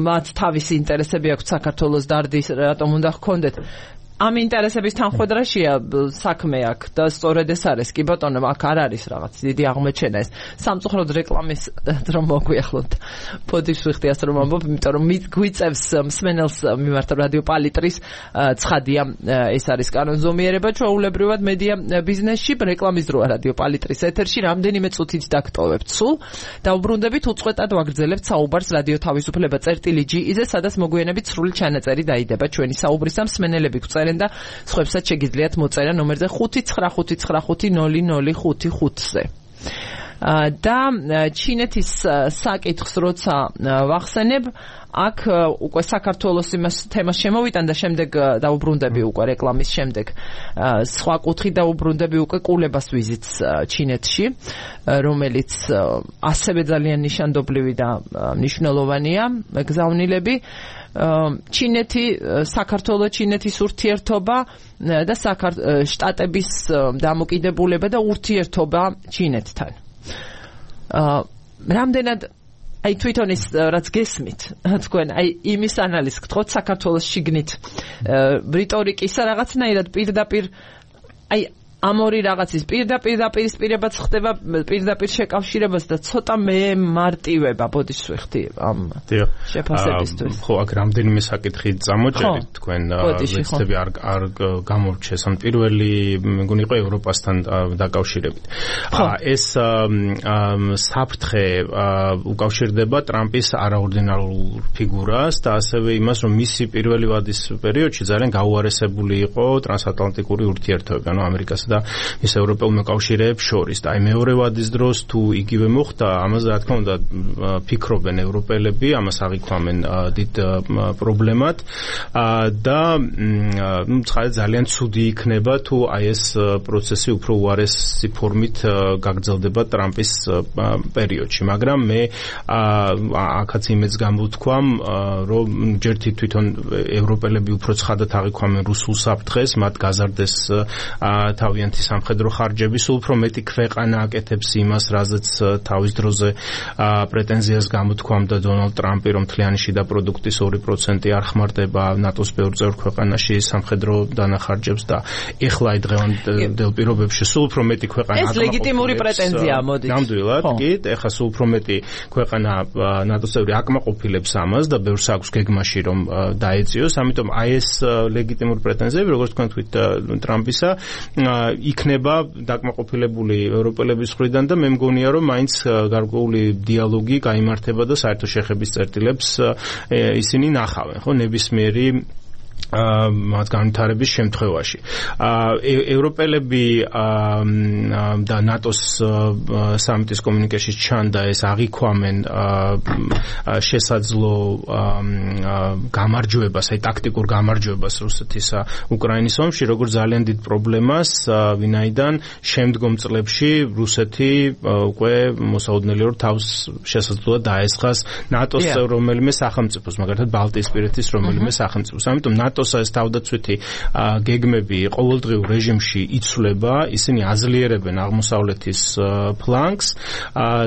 მათ თავისი ინტერესები აქვს საქართველოს დარდის, რატომ უნდა ჰქონდეთ. ამ ინტერესების თანხმედრაშია საქმე აქ და სწორედ ეს არის, კი ბატონო, აქ არ არის რაღაც დიდი აღმოჩენა ეს. სამწუხაროდ რეკლამის რომ მოგვიახლოთ ფოდის ვიხდი ასე რომ ამბობ, იმიტომ რომ გვიწევს მსმენელს მიმართ რადიო პალიტრის ცხადია, ეს არის კანონზომიერება ჩვეულებრივად მედია ბიზნესში, რეკლამის დროა რადიო პალიტრის ეთერში, რამდენიმე წუთით დაგტოვებთ სულ. დაუბრუნდებით, უწყვეტად ვაგრძელებთ საუბარს რადიო თავისუფლება წერტილი ჯი-ზე, სადაც მოგვიანებით სრული ჩანაწერი დაიდება ჩვენი საუბრისა, მსმენელები და სხვებსაც შეგიძლიათ მოწერა ნომერზე ხუთი ცხრა ხუთი ცხრა ხუთი ნული ნული ხუთი ხუთზე. და ჩინეთის საკითხს როცა ვახსენებ, აქ უკვე საქართველოს იმას თემას შემოვიტან და შემდეგ დაუბრუნდები უკვე რეკლამის შემდეგ სხვა კუთხით დაუბრუნდები უკვე კულებას ვიზიტს ჩინეთში, რომელიც ასევე ძალიან ნიშანდობლივი და მნიშვნელოვანია გზავნილები. ჩინეთი, საქართველო ჩინეთის ურთიერთობა და შტატების დამოკიდებულება და ურთიერთობა ჩინეთთან. რამდენად აი თვითონ ის რაც გესმით თქვენ აი იმის ანალიზს გთხოვთ საქართველოს შიგნით რიტორიკისა რაღაცნაირად პირდაპირ აი ამ ორი რაღაცის პირდაპირ დაპირისპირებაც ხდება პირდაპირ შეკავშირებას და ცოტა მე მარტივება ბოდიშ ვიხდი ამ შეფასებისთვის. ხო, აქ რამდენიმე საკითხი წამოჭერით თქვენ ვეცდები არ არ გამორჩეს ან პირველი მეგონი იყო ევროპასთან დაკავშირებით. ეს საფრთხე უკავშირდება ტრამპის არაორდინარულ ფიგურას და ასევე იმას, რომ მისი პირველი ვადის პერიოდში ძალიან გაუარესებული იყო ტრანსატლანტიკური ურთიერთობები, ანუ ამერიკასა და ის ევროპელ მოკავშირეებს შორის და აი მეორე ვადის დროს თუ იგივე მოხდა, ამაზე რა თქმა უნდა ფიქრობენ ევროპელები, ამას აღიქვამენ დიდ პრობლემად და ნუ ძალიან ცუდი იქნება თუ აი ეს პროცესი უფრო უარესი ფორმით გაგრძელდება ტრამპის პერიოდში, მაგრამ მე აქაც იმეც გამოვთქვამ, რომ ჯერთი თვითონ ევროპელები უფრო ცხადად აღიქვამენ რუსულ საფრთხეს, მათ გაზარდეს თავიანთი სამხედრო ხარჯები, სულ უფრო მეტი ქვეყანა აკეთებს იმას, რაზეც თავის დროზე პრეტენზიას გამოთქვამდა დონალდ ტრამპი, რომ მთლიანი შიდა პროდუქტის ორი პროცენტი არ ხმარდება ნატოს ბევრ წევრ ქვეყანაში სამხედრო დანახარჯებს და ეხლა აი დღევანდელ პირობებში სულ უფრო მეტი ქვეყანა აკმაყოფილებს. ეს ლეგიტიმური პრეტენზიაა, მოდით. ნამდვილად, კი, ეხლა სულ უფრო მეტი ქვეყანა ნატოს წევრი აკმაყოფილებს ამას და ბევრს აქვს გეგმაში რომ დაეწიოს, ამიტომ აი ეს ლეგიტიმური პრეტენზიები, როგორც თქვენ თქვით ტრამპისა, იქნება დაკმაყოფილებული ევროპელების მხრიდან და მე მგონია რომ მაინც გარკვეული დიალოგი გაიმართება და საერთო შეხების წერტილებს ისინი ნახავენ, ხო, ნებისმიერი მათ განვითარების შემთხვევაში. ევროპელები და ნატოს სამიტის კომუნიკეში ჩანდა ეს აღიქვამენ შესაძლო გამარჯვებას, აი ტაქტიკურ გამარჯვებას რუსეთის უკრაინის ომში, როგორც ძალიან დიდ პრობლემას, ვინაიდან შემდგომ წლებში რუსეთი უკვე მოსაოდნელი რომ თავს შესაძლოა დაესხას ნატოს რომელიმე სახელმწიფოს, მაგალითად ბალტიისპირეთის რომელიმე სახელმწიფოს. ამიტომ ნატოს ეს თავდაცვითი გეგმები ყოველდღიურ რეჟიმში იცვლება, ისინი აზლიერებენ აღმოსავლეთის ფლანგს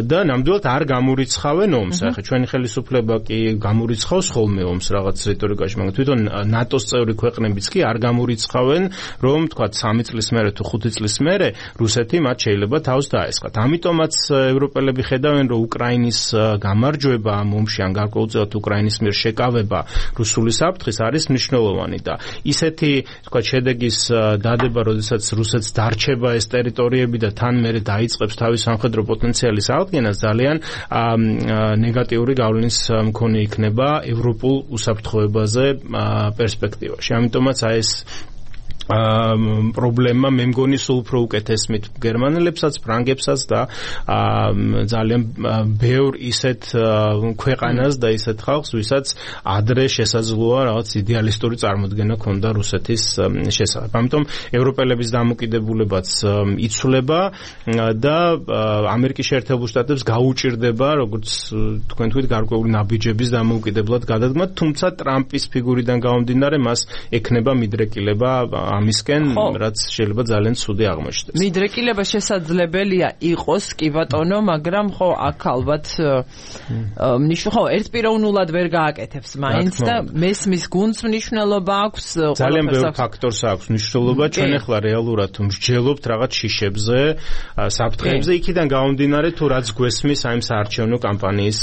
და ნამდვილად არ გამურიცხავენ ომს. ახლა ჩვენი ხელისუფლება კი გამურიცხავს ხოლმე ომს რაღაც რიტორიკაში, მაგრამ თვითონ ნატოს წევრი ქვეყნებიც კი არ გამურიცხავენ, რომ თქვა სამი წლის მერე თუ ხუთი წლის მერე რუსეთი მათ შეიძლება თავს დაესხათ. ამიტომაც ევროპელები ხედავენ, რომ უკრაინის გამარჯვება ამ ომში ან გარკვეულწილად უკრაინის მიერ შეკავება რუსული საფრთხის არის მნიშვნელოვანი და ისეთი თქვა შედეგის დადება, როდესაც რუსეთს დარჩება ეს ტერიტორიები და თან მერე დაიწყებს თავის სამხედრო პოტენციალის აღდგენას, ძალიან ნეგატიური გავლენის მქონე იქნება ევროპულ უსაფრთხოებაზე პერსპექტივაში. ამიტომაც აი ეს პრობლემა მე მგონი სულ უფრო უკეთესმით გერმანელებსაც, ფრანგებსაც და ძალიან ბევრ ისეთ ქვეყანას და ისეთ ხალხს, ვისაც ადრე შესაძლოა რაღაც იდეალისტური წარმოდგენა ჰქონდა რუსეთის შესახებ. ამიტომ ევროპელების დამოკიდებულებაც იცვლება და ამერიკის შეერთებულ შტატებს გაუჭირდება, როგორც თქვენ თქვით, გარკვეული ნაბიჯების დამოუკიდებლად გადადგმა, თუმცა ტრამპის ფიგურიდან გამომდინარე მას ექნება მიდრეკილება ამისკენ, რაც შეიძლება ძალიან ცუდი აღმოჩნდეს. მიდრეკილება შესაძლებელია იყოს, კი ბატონო, მაგრამ ხო აქ ალბათ მნიშვნელობა, ხო, ერთპიროვნულად ვერ გააკეთებს მაინც და მესმის გუნდს მნიშვნელობა აქვს, ძალიან ბევრ ფაქტორს აქვს მნიშვნელობა, ჩვენ ახლა რეალურად მსჯელობთ რაღაც შიშებზე, საფრთხეებზე, იქიდან გამომდინარე თუ რაც გვესმის აი საარჩევნო კამპანიის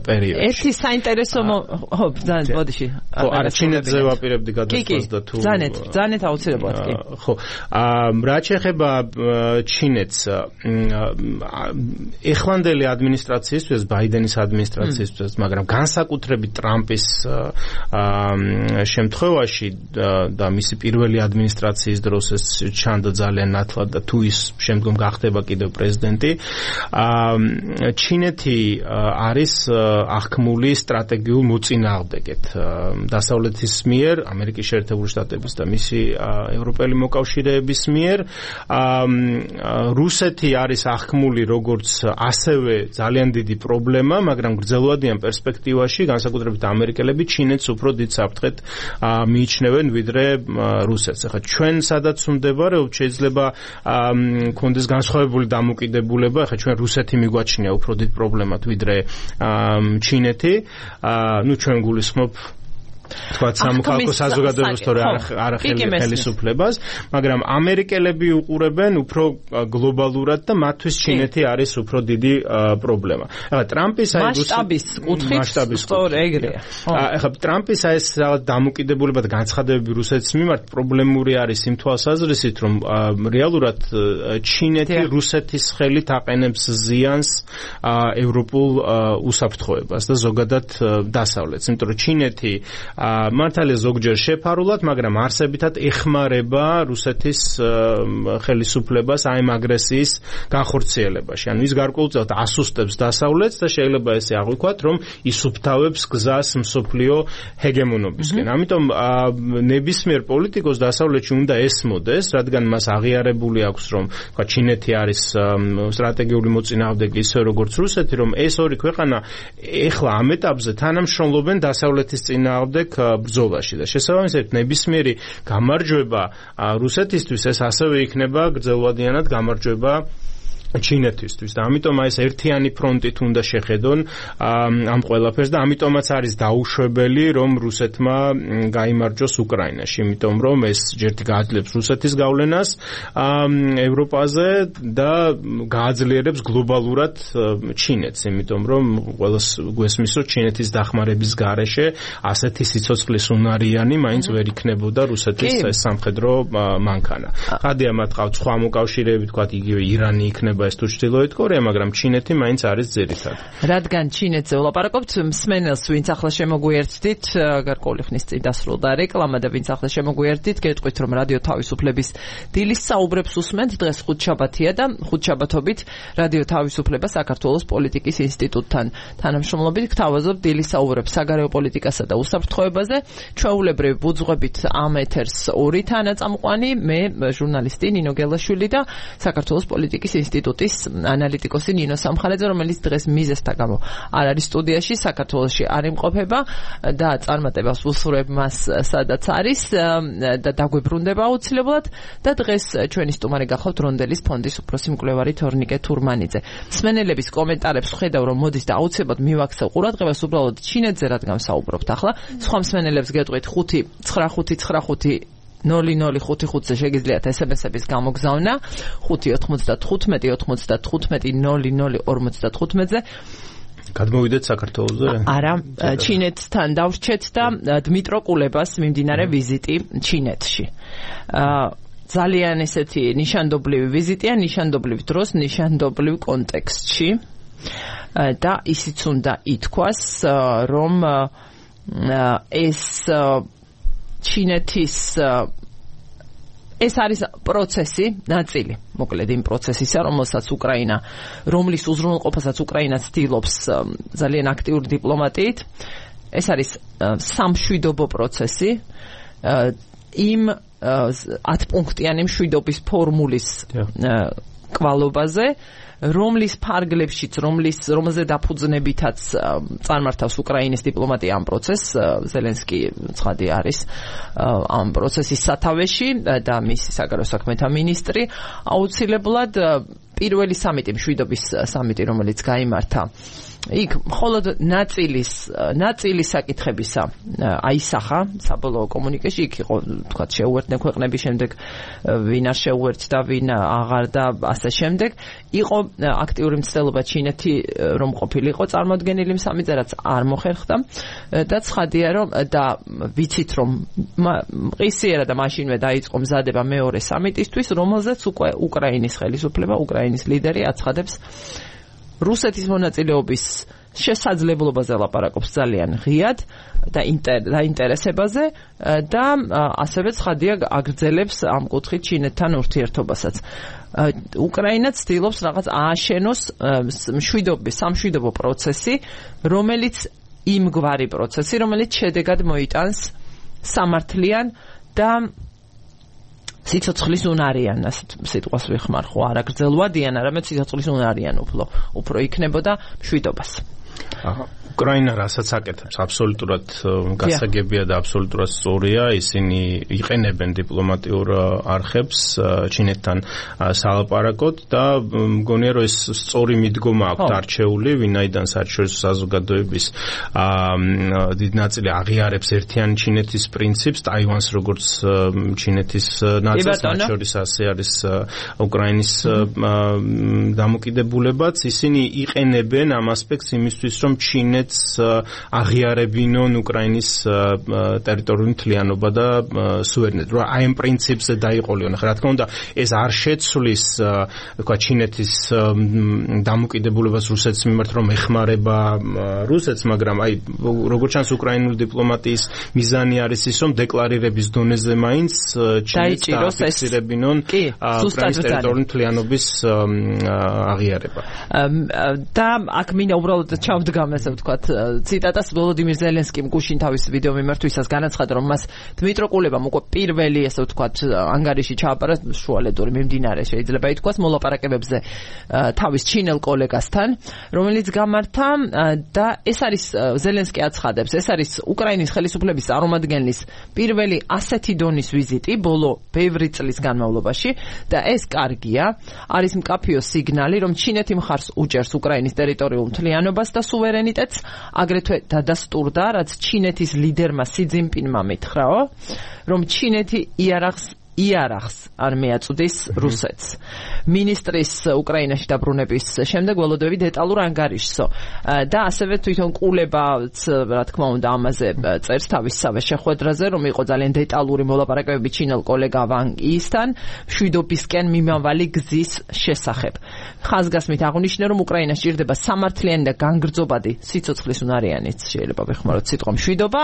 პერიოდში. ერთი საინტერესო ხო, ძალიან ბოდიში. ხო, არა, ჩინეთზე ვაპირებდი გადასვლას და თუ ბრძანეთ აუცილებლად კი. ხო. რაც შეეხება ჩინეთს, ეხლანდელი ადმინისტრაციისთვის, ბაიდენის ადმინისტრაციისთვის, მაგრამ განსაკუთრებით ტრამპის შემთხვევაში და მისი პირველი ადმინისტრაციის დროს ეს ჩანდა ძალიან ნათლად და თუ ის შემდგომ გახდება კიდევ პრეზიდენტი, ჩინეთი არის აღქმული სტრატეგიულ მოწინააღმდეგედ დასავლეთის მიერ, ამერიკის შეერთებული შტატების და მისი ევროპელი მოკავშირეების მიერ. რუსეთი არის აღქმული როგორც ასევე ძალიან დიდი პრობლემა, მაგრამ გრძელვადიან პერსპექტივაში განსაკუთრებით ამერიკელები ჩინეთს უფრო დიდ საფრთხედ მიიჩნევენ ვიდრე რუსეთს. ახლა ჩვენ სადაც ვმდებარებთ, შეიძლება კონდეს განსხვავებული დამოკიდებულება, ახლა ჩვენ რუსეთი მიგვაჩნია უფრო დიდ პრობლემად ვიდრე ჩინეთი. ნუ ჩვენ გულისხმობ თქვა სამოქალაქო საზოგადოებას თორე არ ხელისუფლებას, მაგრამ ამერიკელები უყურებენ უფრო გლობალურად და მათთვის ჩინეთი არის უფრო დიდი პრობლემა. ახლა ტრამპის აი მასშტაბის კუთხით სწორ ეგრეა. ახლა ტრამპის აი ეს რაღაც დამოკიდებულება და განცხადებები რუსეთის მიმართ პრობლემური არის იმ თვალსაზრისით, რომ რეალურად ჩინეთი რუსეთის ხელით აყენებს ზიანს ევროპულ უსაფრთხოებას და ზოგადად დასავლეთს, იმიტომ რომ ჩინეთი მართალია ზოგჯერ შეფარულად, მაგრამ არსებითად ეხმარება რუსეთის ხელისუფლებას აი ამ აგრესიის განხორციელებაში. ანუ ის გარკვეულწილად ასუსტებს დასავლეთს და შეიძლება ესე აღვიქვათ, რომ ისუფთავებს გზას მსოფლიო ჰეგემონობისკენ. ამიტომ ნებისმიერ პოლიტიკოს დასავლეთში უნდა ესმოდეს, რადგან მას აღიარებული აქვს, რომ თქვა ჩინეთი არის სტრატეგიული მოწინააღმდეგე ისე როგორც რუსეთი, რომ ეს ორი ქვეყანა ეხლა ამ ეტაპზე თანამშრომლობენ დასავლეთის წინააღმდეგ ბრძოლაში და შესაბამისად ნებისმიერი გამარჯვება რუსეთისთვის ეს ასევე იქნება გრძელვადიანად გამარჯვება ჩინეთისთვის და ამიტომ აი ეს ერთიანი ფრონტით უნდა შეხედონ ამ ყველაფერს და ამიტომაც არის დაუშვებელი რომ რუსეთმა გაიმარჯვოს უკრაინაში, იმიტომ რომ ეს ჯერტი გააძლევს რუსეთის გავლენას ევროპაზე და გააძლიერებს გლობალურად ჩინეთს, იმიტომ რომ ყველას გვესმის რომ ჩინეთის დახმარების გარეშე ასეთი სიცოცხლის უნარიანი მაინც ვერ იქნებოდა რუსეთის სამხედრო მანქანა. ხადია მათ ყავთ სხვა მოკავშირეები, თქვათ იგივე ირანი იქნება ეს თუ ჩრდილოეთ კორეა, მაგრამ ჩინეთი მაინც არის ძირითადი. რადგან ჩინეთზე ვლაპარაკობთ, მსმენელს ვინც ახლა შემოგვიერთდით, გარკვეული ხნის წინ დასრულდა რეკლამა და ვინც ახლა შემოგვიერთდით, გეტყვით რომ რადიო თავისუფლების დილის საუბრებს უსმენთ, დღეს ხუთშაბათია და ხუთშაბათობით რადიო თავისუფლება საქართველოს პოლიტიკის ინსტიტუტთან თანამშრომლობით გთავაზობ დილის საუბრებს საგარეო პოლიტიკასა და უსაფრთხოებაზე. ჩვეულებრივ ვუძღვებით ამ ეთერს ორი თანაწამყვანი, მე ჟურნალისტი ნინო გელაშვილი და საქართველოს პოლიტიკის ინსტიტუტის ანალიტიკოსი ნინო სამხარაძე, რომელიც დღეს მიზესთა გამო არ არის სტუდიაში, საქართველოში არ იმყოფება და წარმატებას ვუსურვებ მას სადაც არის და დაგვებრუნდება აუცილებლად და დღეს ჩვენი სტუმარი გახავთ რონდელის ფონდის უფროსი მკვლევარი თორნიკე თურმანიძე. მსმენელების კომენტარებს ხედავ რომ მოდის და აუცილებლად მივაქცევ ყურადღებას უბრალოდ ჩინეთზე რადგან ვსაუბრობთ ახლა. სხვა მსმენელებს გეტყვით ხუთი ცხრა ხუთი ცხრა ხუთი ნული ნული ხუთი ხუთზე შეგიძლიათ ესემესების გამოგზავნა ხუთი ოთხმოცდათხუთმეტი ოთხმოცდათხუთმეტი ნული ნული ორმოცდათხუთმეტზე. გადმოვიდეთ საქართველოსზე? არა, ჩინეთთან დავრჩეთ და დმიტრო კულებას მიმდინარე ვიზიტი ჩინეთში. ძალიან ესეთი ნიშანდობლივი ვიზიტია, ნიშანდობლივ დროს, ნიშანდობლივ კონტექსტში და ისიც უნდა ითქვას, რომ ეს ჩინეთის ეს არის პროცესი, ნაწილი, მოკლედ იმ პროცესისა, რომელსაც უკრაინა, რომლის უზრუნველყოფასაც უკრაინა ცდილობს ძალიან აქტიური დიპლომატიით. ეს არის სამშვიდობო პროცესი, იმ ათპუნქტიანი მშვიდობის ფორმულის კვალობაზე, რომლის ფარგლებშიც, რომლის რომელზე დაფუძნებითაც წარმართავს უკრაინის დიპლომატია ამ პროცესს, ზელენსკი ცხადი არის ამ პროცესის სათავეში და მისი საგარეო საქმეთა მინისტრი, აუცილებლად პირველი სამიტი, მშვიდობის სამიტი, რომელიც გაიმართა, იქ მხოლოდ ნაწილის ნაწილის საკითხებისა აისახა საბოლოო კომუნიკეში, იქ იყო თქვა შეუერთდნენ ქვეყნების, შემდეგ ვინ არ შეუერთდა, ვინ აღარ და ასე შემდეგ. იყო აქტიური მცდელობა ჩინეთი რომ ყოფილიყო წარმოადგენელი სამიტზე, რაც არ მოხერხდა და ცხადია რომ და ვიცით რომ ყისიერა და მაშინვე დაიწყო მზადება მეორე სამიტისთვის, რომელზეც უკვე უკრაინის ხელისუფლება, უკრაინის ლიდერი აცხადებს რუსეთის მონაწილეობის შესაძლებლობაზე ლაპარაკობს ძალიან ღიად და ინტერესებაზე და ასევე ცხადია აგრძელებს ამ კუთხით ჩინეთთან ურთიერთობასაც. უკრაინა ცდილობს რაღაც ააშენოს მშვიდობის, სამშვიდობო პროცესი, რომელიც იმგვარი პროცესი, რომელიც შედეგად მოიტანს სამართლიან და სიცოცხლის უნარიან, ასეთ სიტყვას ვიხმარ, ხო, არა გრძელვადიან, არამედ სიცოცხლის უნარიან უფრო, უფრო იქნებოდა მშვიდობას. აჰა. უკრაინა რასაც აკეთებს, აბსოლუტურად გასაგებია და აბსოლუტურად სწორია, ისინი იყენებენ დიპლომატიურ არხებს ჩინეთთან სალაპარაკოდ და მგონია რომ ეს სწორი მიდგომა აქვთ არჩეული, ვინაიდან საერთაშორისო საზოგადოების დიდ ნაწილი აღიარებს ერთიანი ჩინეთის პრინციპს, ტაივანს როგორც ჩინეთის ნაწილს, მათ შორის ასე არის უკრაინის დამოკიდებულებაც, ისინი იყენებენ ამ ასპექტს იმისთვის, რომ ჩინეთი აღიარებინონ უკრაინის ტერიტორიული მთლიანობა და სუვერენიტეტი. აი ამ პრინციპზე დაიყოლიონ. ახლა რა თქმა უნდა, ეს არ შეცვლის, თქვა, ჩინეთის დამოკიდებულებას რუსეთის მიმართ, რომ ეხმარება რუსეთს, მაგრამ აი როგორც ჩანს უკრაინული დიპლომატიის მიზანი არის ის, რომ დეკლარირების დონეზე მაინც ჩინეთს დააფიქსირებინონ უკრაინის ტერიტორიული მთლიანობის აღიარება. და აქ მინდა უბრალოდ ჩავდგამ ესე ვთქვათ ციტატას ვოლოდიმირ ზელენსკიმ გუშინ თავის ვიდეო მიმართვისას განაცხადა, რომ მას დმიტრო კულებამ უკვე პირველი ესე ვთქვათ ანგარიში ჩააბარა შუალედური მიმდინარე შეიძლება ითქვას მოლაპარაკებებზე თავის ჩინელ კოლეგასთან, რომელიც გამართა და ეს არის ზელენსკი აცხადებს, ეს არის უკრაინის ხელისუფლების წარმომადგენლის პირველი ასეთი დონის ვიზიტი ბოლო ბევრი წლის განმავლობაში და ეს კარგია, არის მკაფიო სიგნალი, რომ ჩინეთი მხარს უჭერს უკრაინის ტერიტორიულ მთლიანობას და სუვერენიტეტს, აგრეთვე დადასტურდა, რაც ჩინეთის ლიდერმა სი ძინპინმა მითხრაო, რომ ჩინეთი იარაღს იარაღს არ მიაწვდის რუსეთს. მინისტრის უკრაინაში დაბრუნების შემდეგ ველოდები დეტალურ ანგარიშსო და ასევე თვითონ კულებაც რა თქმა უნდა ამაზე წერს თავისსავე შეხვედრაზე, რომ იყო ძალიან დეტალური მოლაპარაკებები ჩინელ კოლეგა ვან იისთან მშვიდობისკენ მიმავალი გზის შესახებ. ხაზგასმით აღნიშნა, რომ უკრაინა სჭირდება სამართლიანი და განგრძობადი სიცოცხლის უნარიანიც, შეიძლება ვეხმაროთ სიტყვა მშვიდობა,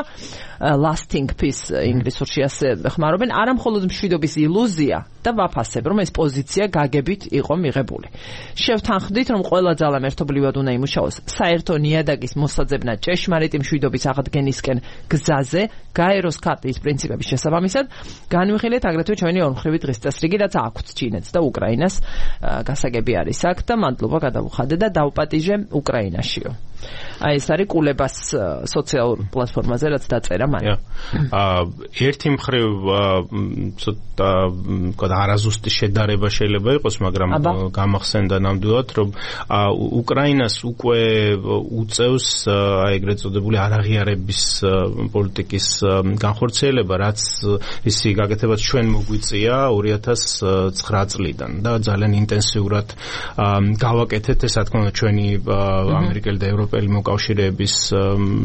lasting peace ინგლისურში ასე ხმარობენ, არა მხოლოდ მშვიდობა ილუზია და ვაფასებ, რომ ეს პოზიცია გაგებით იყო მიღებული. შევთანხმდით, რომ ყველა ძალამ ერთობლივად უნდა იმუშაოს საერთო ნიადაგის მოსაძებნად ჭეშმარიტი მშვიდობის აღდგენისკენ გზაზე, გაეროს ქარტიის პრინციპების შესაბამისად, განვიხილეთ აგრეთვე ჩვენი ორმხრივი დღის წესრიგი, რაც აქვთ ჩინეთს და უკრაინას. გასაგები არის აქ და მადლობა გადავუხადე და დავპატიჟე უკრაინაშიო. აი ეს არის კულებას სოციალურ პლატფორმაზე, რაც დაწერა მან. აა ერთი მხრივ ცოტა თქვა არაზუსტი შედარება შეიძლება იყოს, მაგრამ გამახსენდა ნამდვილად, რომ უკრაინას უკვე უწევს აი ეგრეთ წოდებული არაღიარების პოლიტიკის განხორციელება, რაც ისი გაკეთებაც ჩვენ მოგვიწია ორი ათას ცხრა წლიდან და ძალიან ინტენსიურად გავაკეთეთ ეს რა თქმა უნდა ჩვენი ამერიკელი და ევროპელი მოკავშირეების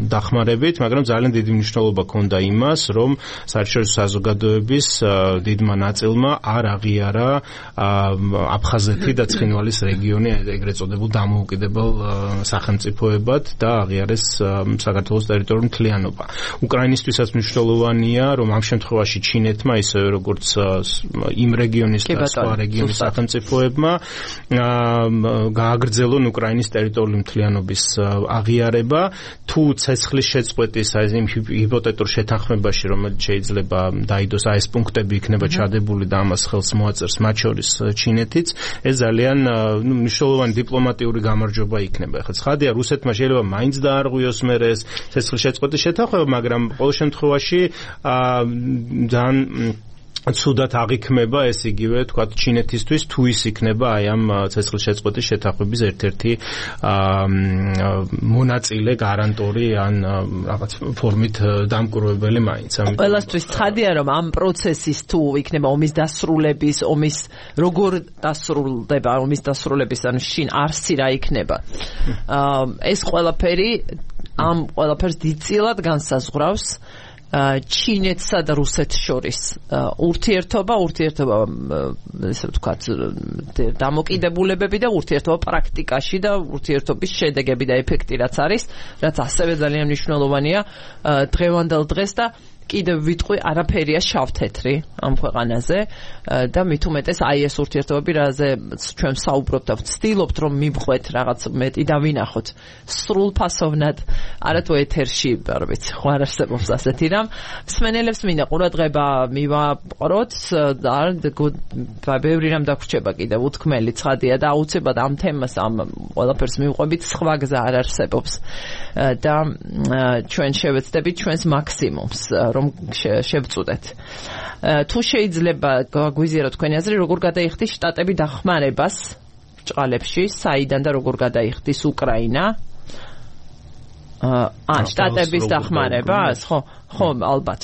დახმარებით, მაგრამ ძალიან დიდი მნიშვნელობა ჰქონდა იმას, რომ საერთაშორისო საზოგადოების დიდმა ნაწილმა არ აღიარა აფხაზეთი და ცხინვალის რეგიონი ეგრეთ წოდებულ დამოუკიდებელ სახელმწიფოებად და აღიარეს საქართველოს ტერიტორიული მთლიანობა. უკრაინისთვისაც მნიშვნელოვანია, რომ ამ შემთხვევაში ჩინეთმა, ისევე როგორც იმ რეგიონის და სხვა რეგიონის სახელმწიფოებმა გააგრძელონ უკრაინის ტერიტორიული მთლიანობის აღიარება, თუ ცეცხლის შეწყვეტის აი იმ ჰიპოთეტურ შეთანხმებაში, რომელიც შეიძლება დაიდოს აი ეს პუნქტები იქნება ჩადებული და ამას ხელს მოაწერს მათ შორის ჩინეთიც, ეს ძალიან ნუ მნიშვნელოვანი დიპლომატიური გამარჯვება იქნება. ახლა ცხადია, რუსეთმა შეიძლება მაინც დაარღვიოს მერე ეს ცეცხლის შეწყვეტის შეთანხმება, მაგრამ ყოველ შემთხვევაში ძალიან ცუდად აღიქმება ეს იგივე თქვა ჩინეთისთვის თუ ის იქნება აი ამ ცეცხლშეწყვეტის შეთანხმების ერთ-ერთი მონაწილე გარანტორი ან რაღაც ფორმით დამკვირვებელი მაინც. ყველასთვის ცხადია რომ ამ პროცესის თუ იქნება ომის დასრულების, ომის როგორ დასრულდება, ომის დასრულების ან შინ არსი რა იქნება. ეს ყველაფერი ამ ყველაფერს დიდწილად განსაზღვრავს ჩინეთსა და რუსეთს შორის ურთიერთობა, ურთიერთობა ესე ვთქვათ დამოკიდებულებები და ურთიერთობა პრაქტიკაში და ურთიერთობის შედეგები და ეფექტი რაც არის, რაც ასევე ძალიან მნიშვნელოვანია დღევანდელ დღეს და კიდევ ვიტყვი არაფერია შავ-თეთრი ამ ქვეყანაზე და მით უმეტეს აი ეს ურთიერთობები რაზე ჩვენ საუბრობთ და ვცდილობთ რომ მივხვეთ რაღაც მეტი და ვინახოთ სრულფასოვნად არათუ ეთერში არ ვიცი ხო არ არსებობს ასეთი რამ მსმენელებს მინდა ყურადღება მივაყროთ და ბევრი რამ დაგვრჩება კიდევ უთქმელი ცხადია და აუცილებლად ამ თემას ამ ყველაფერს მივყვებით სხვა გზა არ არსებობს და ჩვენ შევეცდებით ჩვენს მაქსიმუმს რომ შევწუდეთ. თუ შეიძლება გაგვიზიაროთ თქვენი აზრი, როგორ გადაიხდის შტატები დახმარებას ჭყალებში, საიდან და როგორ გადაიხდის უკრაინა? აა, შტატების დახმარებას, ხო, ხო, ალბათ.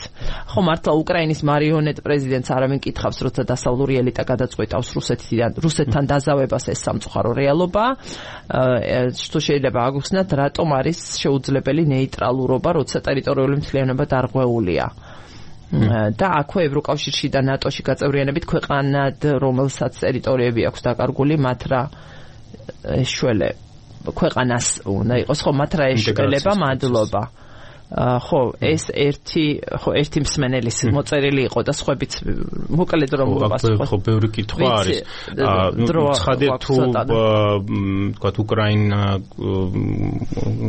ხო, მართლა უკრაინის მარიონეტ პრეზიდენტს არავინ კითხავს, როცა დასავლური ელიტა გადაწყვეტავს რუსეთიდან, რუსეთთან დაზავებას ეს სამწუხარო რეალობა. აა, თუ შეიძლება აგხსნათ, რატომ არის შეუძლებელი ნეიტრალურობა, როცა ტერიტორიული მთლიანობა დარღვეულია. და აქვე ევროკავშირში და ნატოში გაწევრიანებით ქვეყანად, რომელსაც ტერიტორიები აქვს დაკარგული, მათ რა ეშველე ქვეყანას უნდა იყოს, ხო, მათ რა ეშველება, მადლობა. ხო, ეს ერთი, ხო, ერთი მსმენელის მოწერილი იყო და სხვაებიც მოკლედ რომ ვაპასუხოთ. ხო, ბევრი კითხვა არის. ნუ ცხადია თუ თქვათ უკრაინა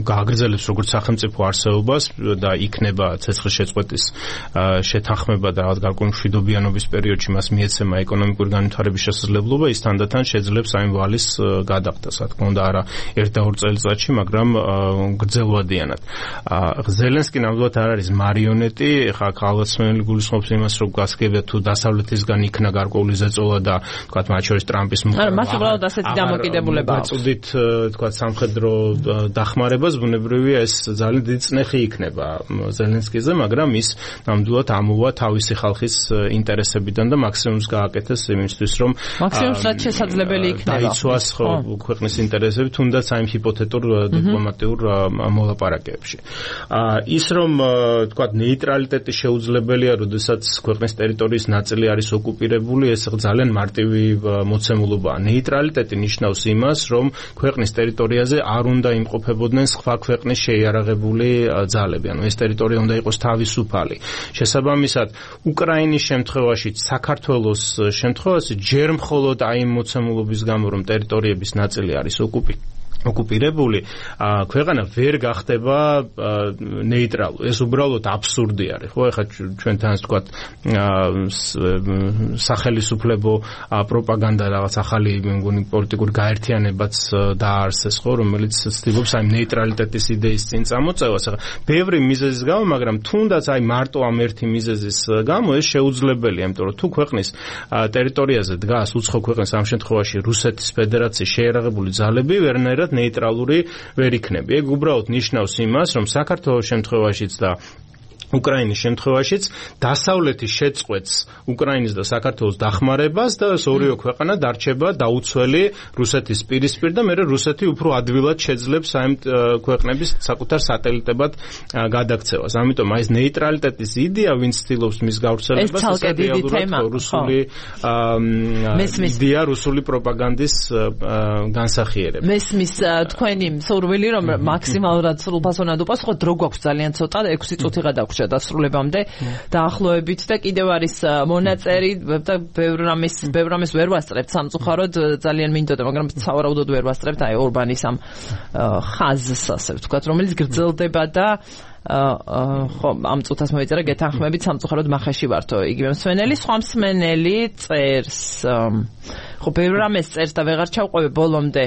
გააგრძელებს როგორც სახელმწიფო არსებობას და იქნება ცეცხლშეწყვეტის შეთანხმება და რაღაც გარკვეული მშვიდობიანობის პერიოდში მას მიეცემა ეკონომიკური განვითარების შესაძლებლობა, ის თანდათან შეძლებს ამ ვალის გადახდას, რა თქმა უნდა, არა ერთ და ორ წელიწადში, მაგრამ გრძელვადიანად. ზელენსკი ნამდვილად არ არის მარიონეტი, ხა ხალხსმენელი გულისხმობს იმას, რომ გასაგებია თუ დასავლეთისგან იქნა გარკვეული ზეწოლა და თქვათ მათ შორის ტრამპის არა, მას უბრალოდ ასეთი დამოკიდებულება აქვს. გაწუდით თქვათ სამხედრო დახმარებას, ბუნებრივია ეს ძალიან დიდი წნეხი იქნება ზელენსკიზე, მაგრამ ის ნამდვილად ამოვა თავისი ხალხის ინტერესებიდან და მაქსიმუმს გააკეთეს იმისთვის, რომ მაქსიმუმს რაც შესაძლებელი იქნება. დაიცვას ხო ქვეყნის ინტერესები, თუნდაც აი ჰიპოთეტურ დიპლომატიურ მოლაპარაკებებში. ის რომ თქვათ ნეიტრალიტეტი შეუძლებელია, როდესაც ქვეყნის ტერიტორიის ნაწილი არის ოკუპირებული, ეს ძალიან მარტივი მოცემულობაა. ნეიტრალიტეტი ნიშნავს იმას, რომ ქვეყნის ტერიტორიაზე არ უნდა იმყოფებოდნენ სხვა ქვეყნის შეიარაღებული ძალები. ანუ ეს ტერიტორია უნდა იყოს თავისუფალი. შესაბამისად, უკრაინის შემთხვევაში, საქართველოს შემთხვევაში ჯერ მხოლოდ აი იმ მოცემულობის გამო, რომ ტერიტორიების ნაწილი არის ოკუპირებული ოკუპირებული, ქვეყანა ვერ გახდება ნეიტრალური. ეს უბრალოდ აბსურდი არის. ხო, ეხლა ჩვენთან თქვათ სახელისუფლებო პროპაგანდა რაღაც ახალი მეგონი პოლიტიკური გაერთიანებაც დაარსეს, ხო, რომელიც ცდილობს აი ნეიტრალიტეტის იდეის წინ წამოწევას. ახლა ბევრი მიზეზის გამო, მაგრამ თუნდაც აი მარტო ამ ერთი მიზეზის გამო ეს შეუძლებელია, იმიტომ რომ თუ ქვეყნის ტერიტორიაზე დგას უცხო ქვეყნის ამ შემთხვევაში რუსეთის ფედერაციის შეიარაღებული ძალები, ვერნაირად ნეიტრალური ვერ იქნება. ეგ უბრალოდ ნიშნავს იმას, რომ საქართველოს შემთხვევაშიც და უკრაინის შემთხვევაშიც დასავლეთის შეწყვეტს უკრაინის და საქართველოს დახმარებას და ორივე ქვეყანა დარჩება დაუცველი რუსეთის პირისპირ და მე რუსეთი უფრო ადვილად შეძლებს აი ქვეყნების საკუთარ სატელიტებად გადაქცევას. ამიტომ აი ეს ნეიტრალიტეტის იდეა, ვინც ცდილობს მის გავრცელებას, ეს რეალურად რუსული იდეა, რუსული პროპაგანდის განსახიერება. მესმის თქვენი მსურველი, რომ მაქსიმალურად სრულფასოვნად უპას, ხო დრო გვაქვს ძალიან ცოტა, ექვსი წუთი გადაგვჭირდა დასრულებამდე დაახლოებით და კიდევ არის მონაწერი და ბევრ რამის ბევრ რამის ვერ ვასწრებთ სამწუხაროდ ძალიან მინდოდა, მაგრამ სავარაუდოდ ვერ ვასწრებთ აი ორბანის ამ ხაზს, ასე ვთქვათ, რომელიც გრძელდება და ხო ამ წუთას მოიწერა გეთანხმებით სამწუხაროდ მახეში ვართო იგივე მსმენელი სხვა მსმენელი წერს ხო ბევრ რამეს წერს და ვეღარ ჩავყვები ბოლომდე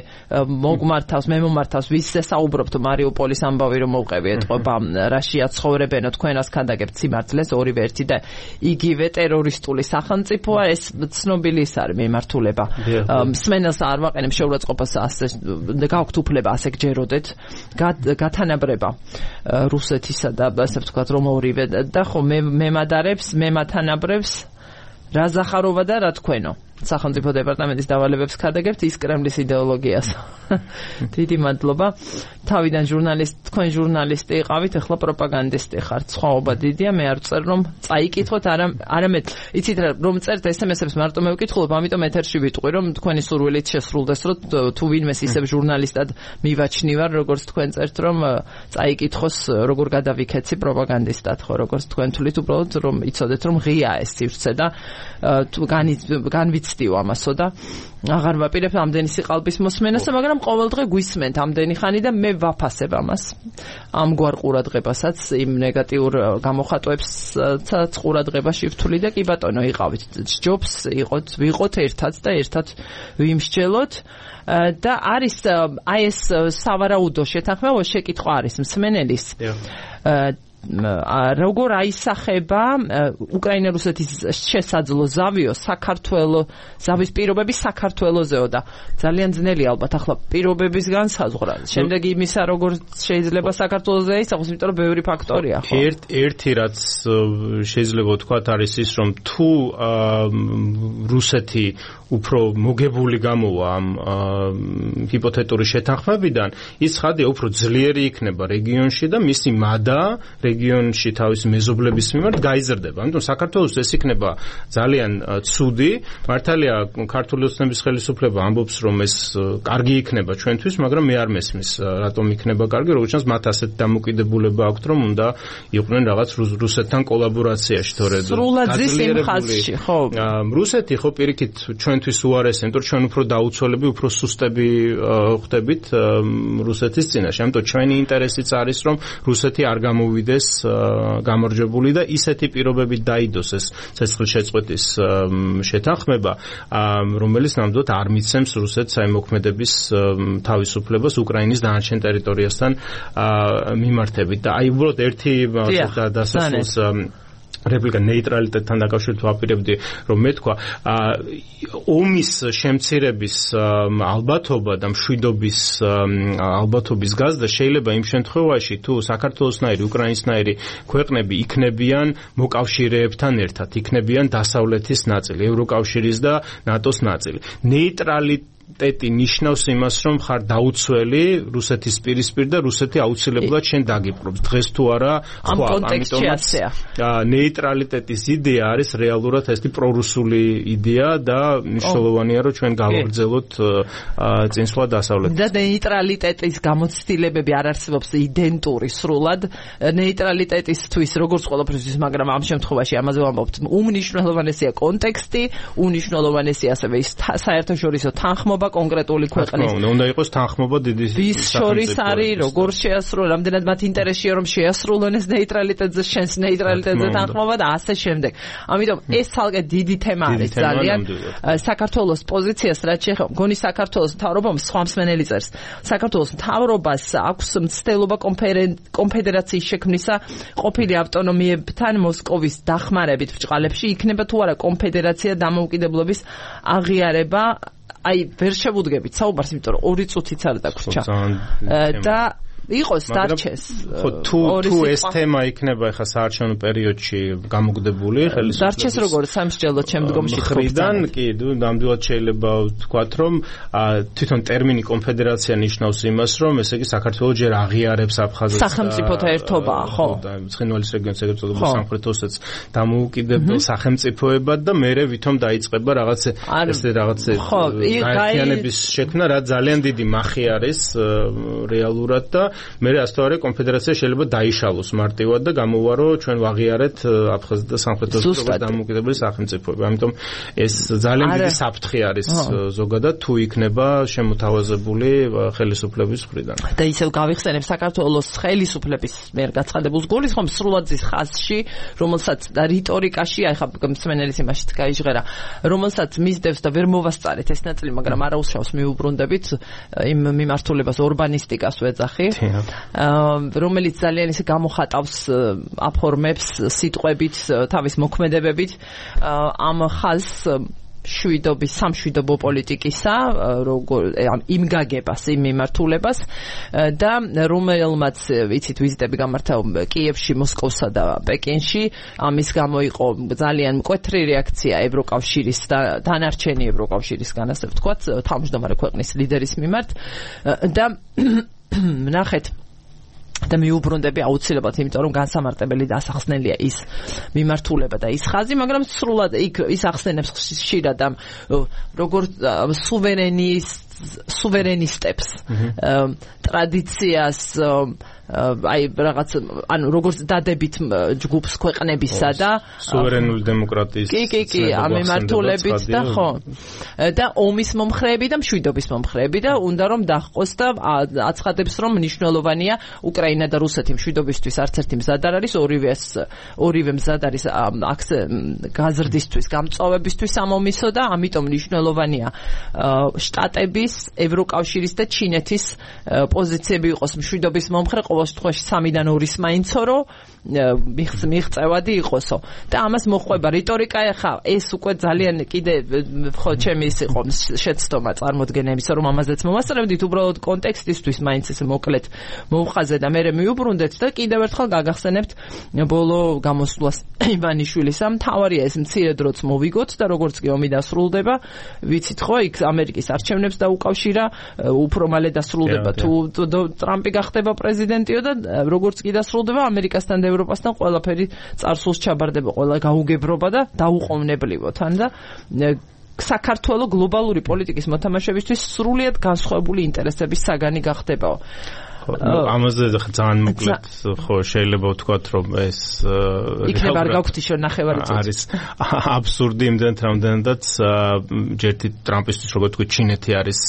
მოგმართავს მე მომართავს ვისზე საუბრობთ მარიუპოლის ამბავი რომ მოვყევი ეთყობა რაშია ცხოვრებენო თქვენას ქანდაგებთ სიმართლეს ორივე ერთი და იგივე ტერორისტული სახელმწიფოა ეს ცნობილი ის არის მიმართულება მსმენელს არ ვაყენებ შეურაცხყოფას ასე გაქვთ უფლება ასე გჯეროდეთ გათანაბრება რუსეთისა და ასე ვთქვათ რომ ორივე და ხო მე მემადარებს მემათანაბრებს რა ზახაროვა და რა თქვენო სახელმწიფო დეპარტამენტის დავალებებს ქადაგებთ ის კრემლის იდეოლოგიას. დიდი მადლობა. თავიდან ჟურნალისტ, თქვენ ჟურნალისტი იყავით, ახლა პროპაგანდისტი ხართ. სხვაობა დიდია, მე არ ვწერ რომ წაიკითხოთ, არა არამედ იცით რომ წერთ ეს ემ ეს-ებს მარტო მე ვკითხულობ, ამიტომ ეთერში ვიტყვი რომ თქვენი სურვილით შესრულდეს, რომ თუ ვინმეს ისევ ჟურნალისტად მივაჩნივარ, როგორც თქვენ წერთ რომ წაიკითხოს, როგორ გადავიქეცი პროპაგანდისტად, ხო, როგორც თქვენ თვლით უბრალოდ რომ იცოდეთ რომ ღია ეს სივრცე და თუ განვიცდიო ამასო და აღარ ვაპირებ ამდენი სიყალბის მოსმენასა, მაგრამ ყოველდღე გვისმენთ ამდენი ხანი და მე ვაფასებ ამას. ამგვარ ყურადღებასაც, იმ ნეგატიურ გამოხატვებსაც ყურადღებაში ვთვლი და კი ბატონო, იყავით. ჯობს იყოთ, ვიყოთ ერთად და ერთად ვიმსჯელოთ და არის აი ეს სავარაუდო შეთანხმება შეკითხვა არის მსმენელის. როგორ აისახება უკრაინა-რუსეთის შესაძლო ზავიო საქართველოს ზავის პირობები საქართველოსეო და ძალიან ძნელი ალბათ ახლა პირობების განსაზღვრა. შემდეგ იმისა როგორ შეიძლება საქართველოსზე აისახოს, იმიტომ რომ ბევრი ფაქტორია ხო. ერთ ერთი რაც შეიძლება ვთქვათ არის ის რომ თუ რუსეთი უფრო მოგებული გამოვა ამ ჰიპოთეტური შეთანხმებიდან, ის ხადია უფრო ძლიერი იქნება რეგიონში და მისი მადა რეგიონში თავისი მეზობლების მიმართ გაიზრდება. ამიტომ საქართველოს ეს იქნება ძალიან ცუდი. მართალია ქართული ოცნების ხელისუფლება ამბობს რომ ეს კარგი იქნება ჩვენთვის, მაგრამ მე არ მესმის რატომ იქნება კარგი, როგორც ჩანს მათ ასეთ დამოკიდებულება აქვთ რომ უნდა იყვნენ რაღაც რუსეთთან კოლაბორაციაში, თორედ სრულად იმ ხაზში, ხო. რუსეთი ხო პირიქით ჩვენთვის უარესი, იმიტომ რომ ჩვენ უფრო დაუცველები, უფრო სუსტები ხდებით რუსეთის წინაშე. ამიტომ ჩვენი ინტერესიც არის რომ რუსეთი არ გამოვიდეს გამარჯვებული და ისეთი პირობებით დაიდოს ეს ცეცხლშეწყვეტის შეთანხმება, რომელიც ნამდვილად არ მიცემს რუსეთს აი მოქმედების თავისუფლებას უკრაინის დანარჩენ ტერიტორიასთან მიმართებით. და აი უბრალოდ ერთი დასასრულს რეპლიკა ნეიტრალიტეტთან დაკავშირებით ვაპირებდი რომ მე თქვა ომის შემცირების ალბათობა და მშვიდობის ალბათობის გაზრდა შეიძლება იმ შემთხვევაში თუ საქართველოსნაირი უკრაინისნაირი ქვეყნები იქნებიან მოკავშირეებთან ერთად, იქნებიან დასავლეთის ნაწილი, ევროკავშირის და ნატოს ნაწილი. ნეიტრალიტეტი ტეტი ნიშნავს იმას, რომ ხარ დაუცველი რუსეთის პირისპირ და რუსეთი აუცილებლად შენ დაგიპყრობს. დღეს თუ არა, ამ კონტექსტში ასეა. ნეიტრალიტეტის იდეა არის რეალურად ესეთი პრორუსული იდეა და მნიშვნელოვანია, რომ ჩვენ გავაგრძელოთ წინსვლა დასავლეთით. და ნეიტრალიტეტის გამოცდილებები არ არსებობს იდენტური სრულად ნეიტრალიტეტისთვის, როგორც ყველაფრისთვის, მაგრამ ამ შემთხვევაში ამაზე ვამბობთ. უმნიშვნელოვანესია კონტექსტი, უმნიშვნელოვანესია ასევე ის საერთაშორისო თანხმობა კონკრეტული ქვეყნის. უნდა იყოს თანხმობა დიდი ვის შორის არის, როგორ შეასრულონ, რამდენად მათ ინტერესია რომ შეასრულონ ეს ნეიტრალიტეტზე, შენს ნეიტრალიტეტზე თანხმობა და ასე შემდეგ. ამიტომ ეს ცალკე დიდი თემა არის ძალიან. საქართველოს პოზიციას რაც შეეხება, მგონი საქართველოს მთავრობამ სხვა მსმენელი წერს. საქართველოს მთავრობას აქვს მცდელობა კონფედერაციის შექმნისა ყოფილი ავტონომიებთან მოსკოვის დახმარებით ბრჭყალებში, იქნება თუ არა კონფედერაცია დამოუკიდებლობის აღიარება. აი ვერ შევუდგებით საუბარს, იმიტომ რომ ორი წუთიც არ დაგვრჩა. და იყოს დარჩეს. ხო თუ თუ ეს თემა იქნება ახლა საარჩევნო პერიოდში გამოგდებული ხელისუფლების დარჩეს როგორც სამსჯელოდ შემდგომში ხრიდან, კი, ნამდვილად შეიძლება ვთქვათ, რომ თვითონ ტერმინი კონფედერაცია ნიშნავს იმას, რომ ესე იგი საქართველოს ჯერ აღიარებს აფხაზეთს სახელმწიფოთა ერთობაა, ხო? და ცხინვალის რეგიონს ეგრეთ წოდებულ სამხრეთ ოსეთს დამოუკიდებელ სახელმწიფოებად და მერე ვითომ დაიწყება რაღაც ესე რაღაც გაერთიანების შექმნა, რაც ძალიან დიდი მახი არის რეალურად და მე ასთავარი კონფედერაცია შეიძლება დაიშალოს მარტივად და გამოვარო ჩვენ ვაღიარეთ აფხაზეთ და სამხრეთ ოსეთის დამოუკიდებელი სახელმწიფოები. ამიტომ ეს ძალიან დიდი საფრთხე არის ზოგადად თუ იქნება შემოთავაზებული ხელისუფლების მხრიდან. და ისევ გავიხსენებ საქართველოს ხელისუფლების მიერ გაცხადებულს გულისხმობს სრულად ის ხაზში, რომელსაც და რიტორიკაში, აი ხა მსმენელის იმაშიც გაიჟღერა, რომელსაც მისდევს და ვერ მოვასწარეთ ეს ნაწილი, მაგრამ არაუშავს მიუბრუნდებით იმ მიმართულებას ორბანისტიკას ვეძახი, რომელიც ძალიან ისე გამოხატავს აფორმებს სიტყვებით, თავის მოქმედებებით ამ ხაზს შვიდობის სამშვიდობო პოლიტიკისა, როგორ იმ გაგებას, იმ მიმართულებას და რომელმაც ვიცით ვიზიტები გამართა კიევში, მოსკოვსა და პეკინში, ამის გამო იყო ძალიან მკვეთრი რეაქცია ევროკავშირის და დანარჩენი ევროკავშირისგან, ასე ვთქვათ, თავმჯდომარე ქვეყნის ლიდერის მიმართ და ნახეთ და მიუბრუნდები აუცილებლად, იმიტომ რომ განსამარტებელი და ასახსნელია ის მიმართულება და ის ხაზი, მაგრამ სრულად იქ ის ახსენებს ხშირად ამ როგორც სუვერენის სუვერენისტებს ტრადიციას აი რაღაც ანუ როგორც დადებით ჯგუფს ქვეყნებისა და სუვერენული დემოკრატიის კი კი კი ამ მიმართულებით და ხო და ომის მომხრეები და მშვიდობის მომხრეები და უნდა რომ დაჰყოს და აცხადებს რომ მნიშვნელოვანია უკრაინა და რუსეთი მშვიდობისთვის არც ერთი მზად არ არის, ორივეს ორივე მზად არის გაზრდისთვის, გამწვავებისთვის ამ ომისო და ამიტომ მნიშვნელოვანია შტატების, ევროკავშირის და ჩინეთის პოზიციები იყოს მშვიდობის მომხრე, ყოველ შემთხვევაში სამიდან ორის მაინცო რო მიღწევადი იყოსო და ამას მოხვება რიტორიკა. ეხა ეს უკვე ძალიან კიდე ხო ჩემი ის იყო შეცდომა წარმოდგენა იმისა, რომ ამაზეც მომასწრებდით, უბრალოდ კონტექსტისთვის მაინც ეს მოკლედ მოვხაზე და მე მიუბრუნდეთ და კიდევ ერთხელ გაგახსენებთ ბოლო გამოსვლას ივანიშვილისა. მთავარია ეს მცირე დროც მოვიგოთ და როგორც კი ომი დასრულდება, ვიცით ხო, იქ ამერიკის არჩევნებს დაუკავშირა, უფრო მალე დასრულდება თუ ტრამპი გახდება პრეზიდენტიო და როგორც კი დასრულდება ამერიკასთან და ევროპასთან ყველაფერი წარსულს ჩაბარდება, ყველა გაუგებრობა და დაუყოვნებლივა თან და საქართველოს გლობალური პოლიტიკის მოთამაშებისთვის სრულიად განსხვავებული ინტერესების საგანი გახდებაო. ამაზე ძალიან მოკლედ ხო შეიძლება ვთქვათ რომ ეს იქნება არ გაგვთ ისო ნახევარი წუთი არის აბსურდი იმდენად რამდენადაც ჯერთი ტრამპისთვის როგორ თქვი ჩინეთი არის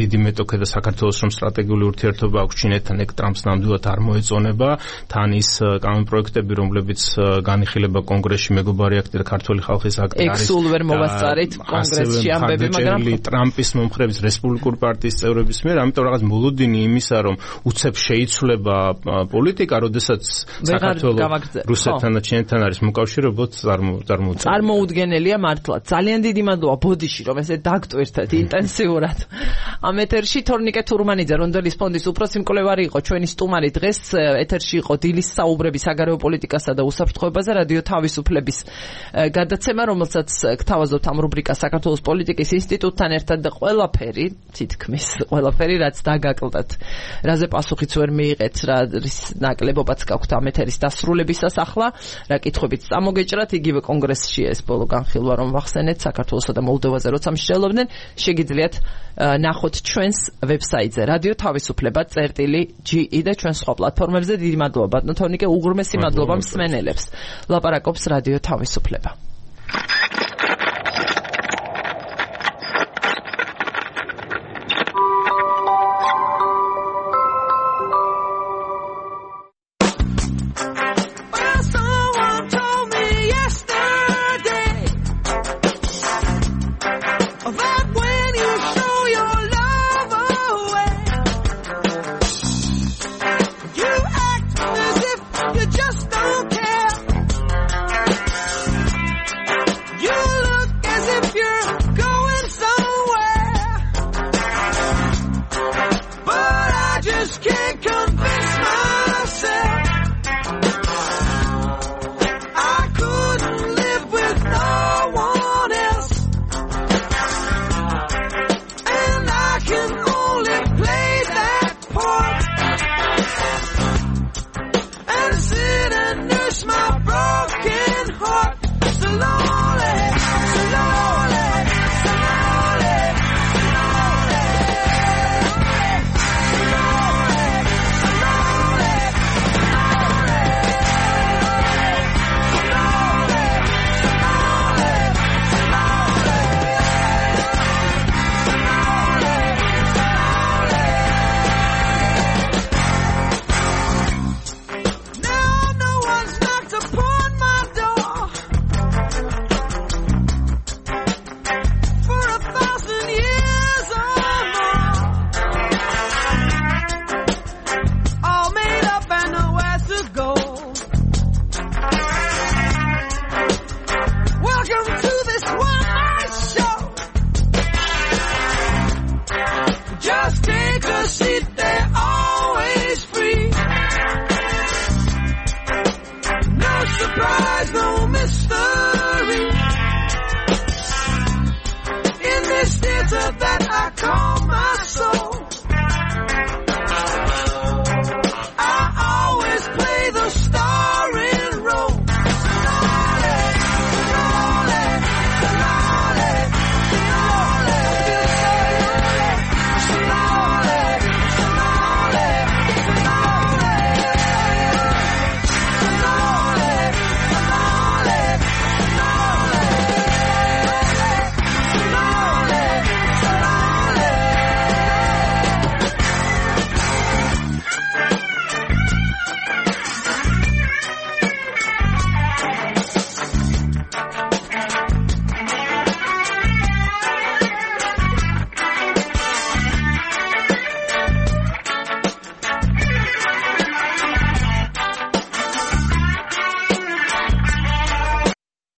დიდი მეტოქე და საქართველოს რომ სტრატეგიული ურთიერთობა აქვს ჩინეთთან, ეგ ტრამპს ნამდვილად არ მოეწონება. თან ის კანონპროექტები რომლებიც განიხილება კონგრესში, მეგობარი აქტი და ქართული ხალხის აქტი არის ეგ სულ ვერ მოვასწარით კონგრესში ამბები, მაგრამ ტრამპის მომხრეების რესპუბლიკური პარტიის წევრების მიერ, ამიტომ რაღაც მოლოდინი იმისა რომ უცებ შეიცვლება პოლიტიკა, როდესაც საქართველოს რუსეთთან და ჩინეთთან არის მოკავშირეობოთ წარმოუდგენელია. წარმოუდგენელია მართლა. ძალიან დიდი მადლობა ბოდიში, რომ ესე დაგტვირთეთ ინტენსიურად. ამ ეთერში თორნიკე თურმანიძე, რონდელის ფონდის უფროსი მკვლევარი იყო ჩვენი სტუმარი. დღეს ეთერში იყო დილის საუბრები საგარეო პოლიტიკასა და უსაფრთხოებაზე რადიო თავისუფლების გადაცემა, რომელსაც გთავაზობთ ამ რუბრიკას საქართველოს პოლიტიკის ინსტიტუტთან ერთად და ყველაფერი, თითქმის ყველაფერი, რაც დაგაკლდათ. რაზე პასუხიც ვერ მიიღეთ, რა ნაკლებობაც გაქვთ ამ ეთერის დასრულებისას ახლა, რა კითხვებით წამოგეჭრათ, იგივე კონგრესში ეს ბოლო განხილვა რომ ვახსენეთ საქართველოსა და მოლდოვაზე როცა მსჯელობდნენ, შეგიძლიათ ნახოთ ჩვენს ვებსაიტზე რადიო თავისუფლება წერტილი ჯი ი და ჩვენ სხვა პლატფორმებზე. დიდი მადლობა ბატონო თორნიკე, უღრმესი მადლობა მსმენელებს. ლაპარაკობს რადიო თავისუფლება. My broken heart, so long.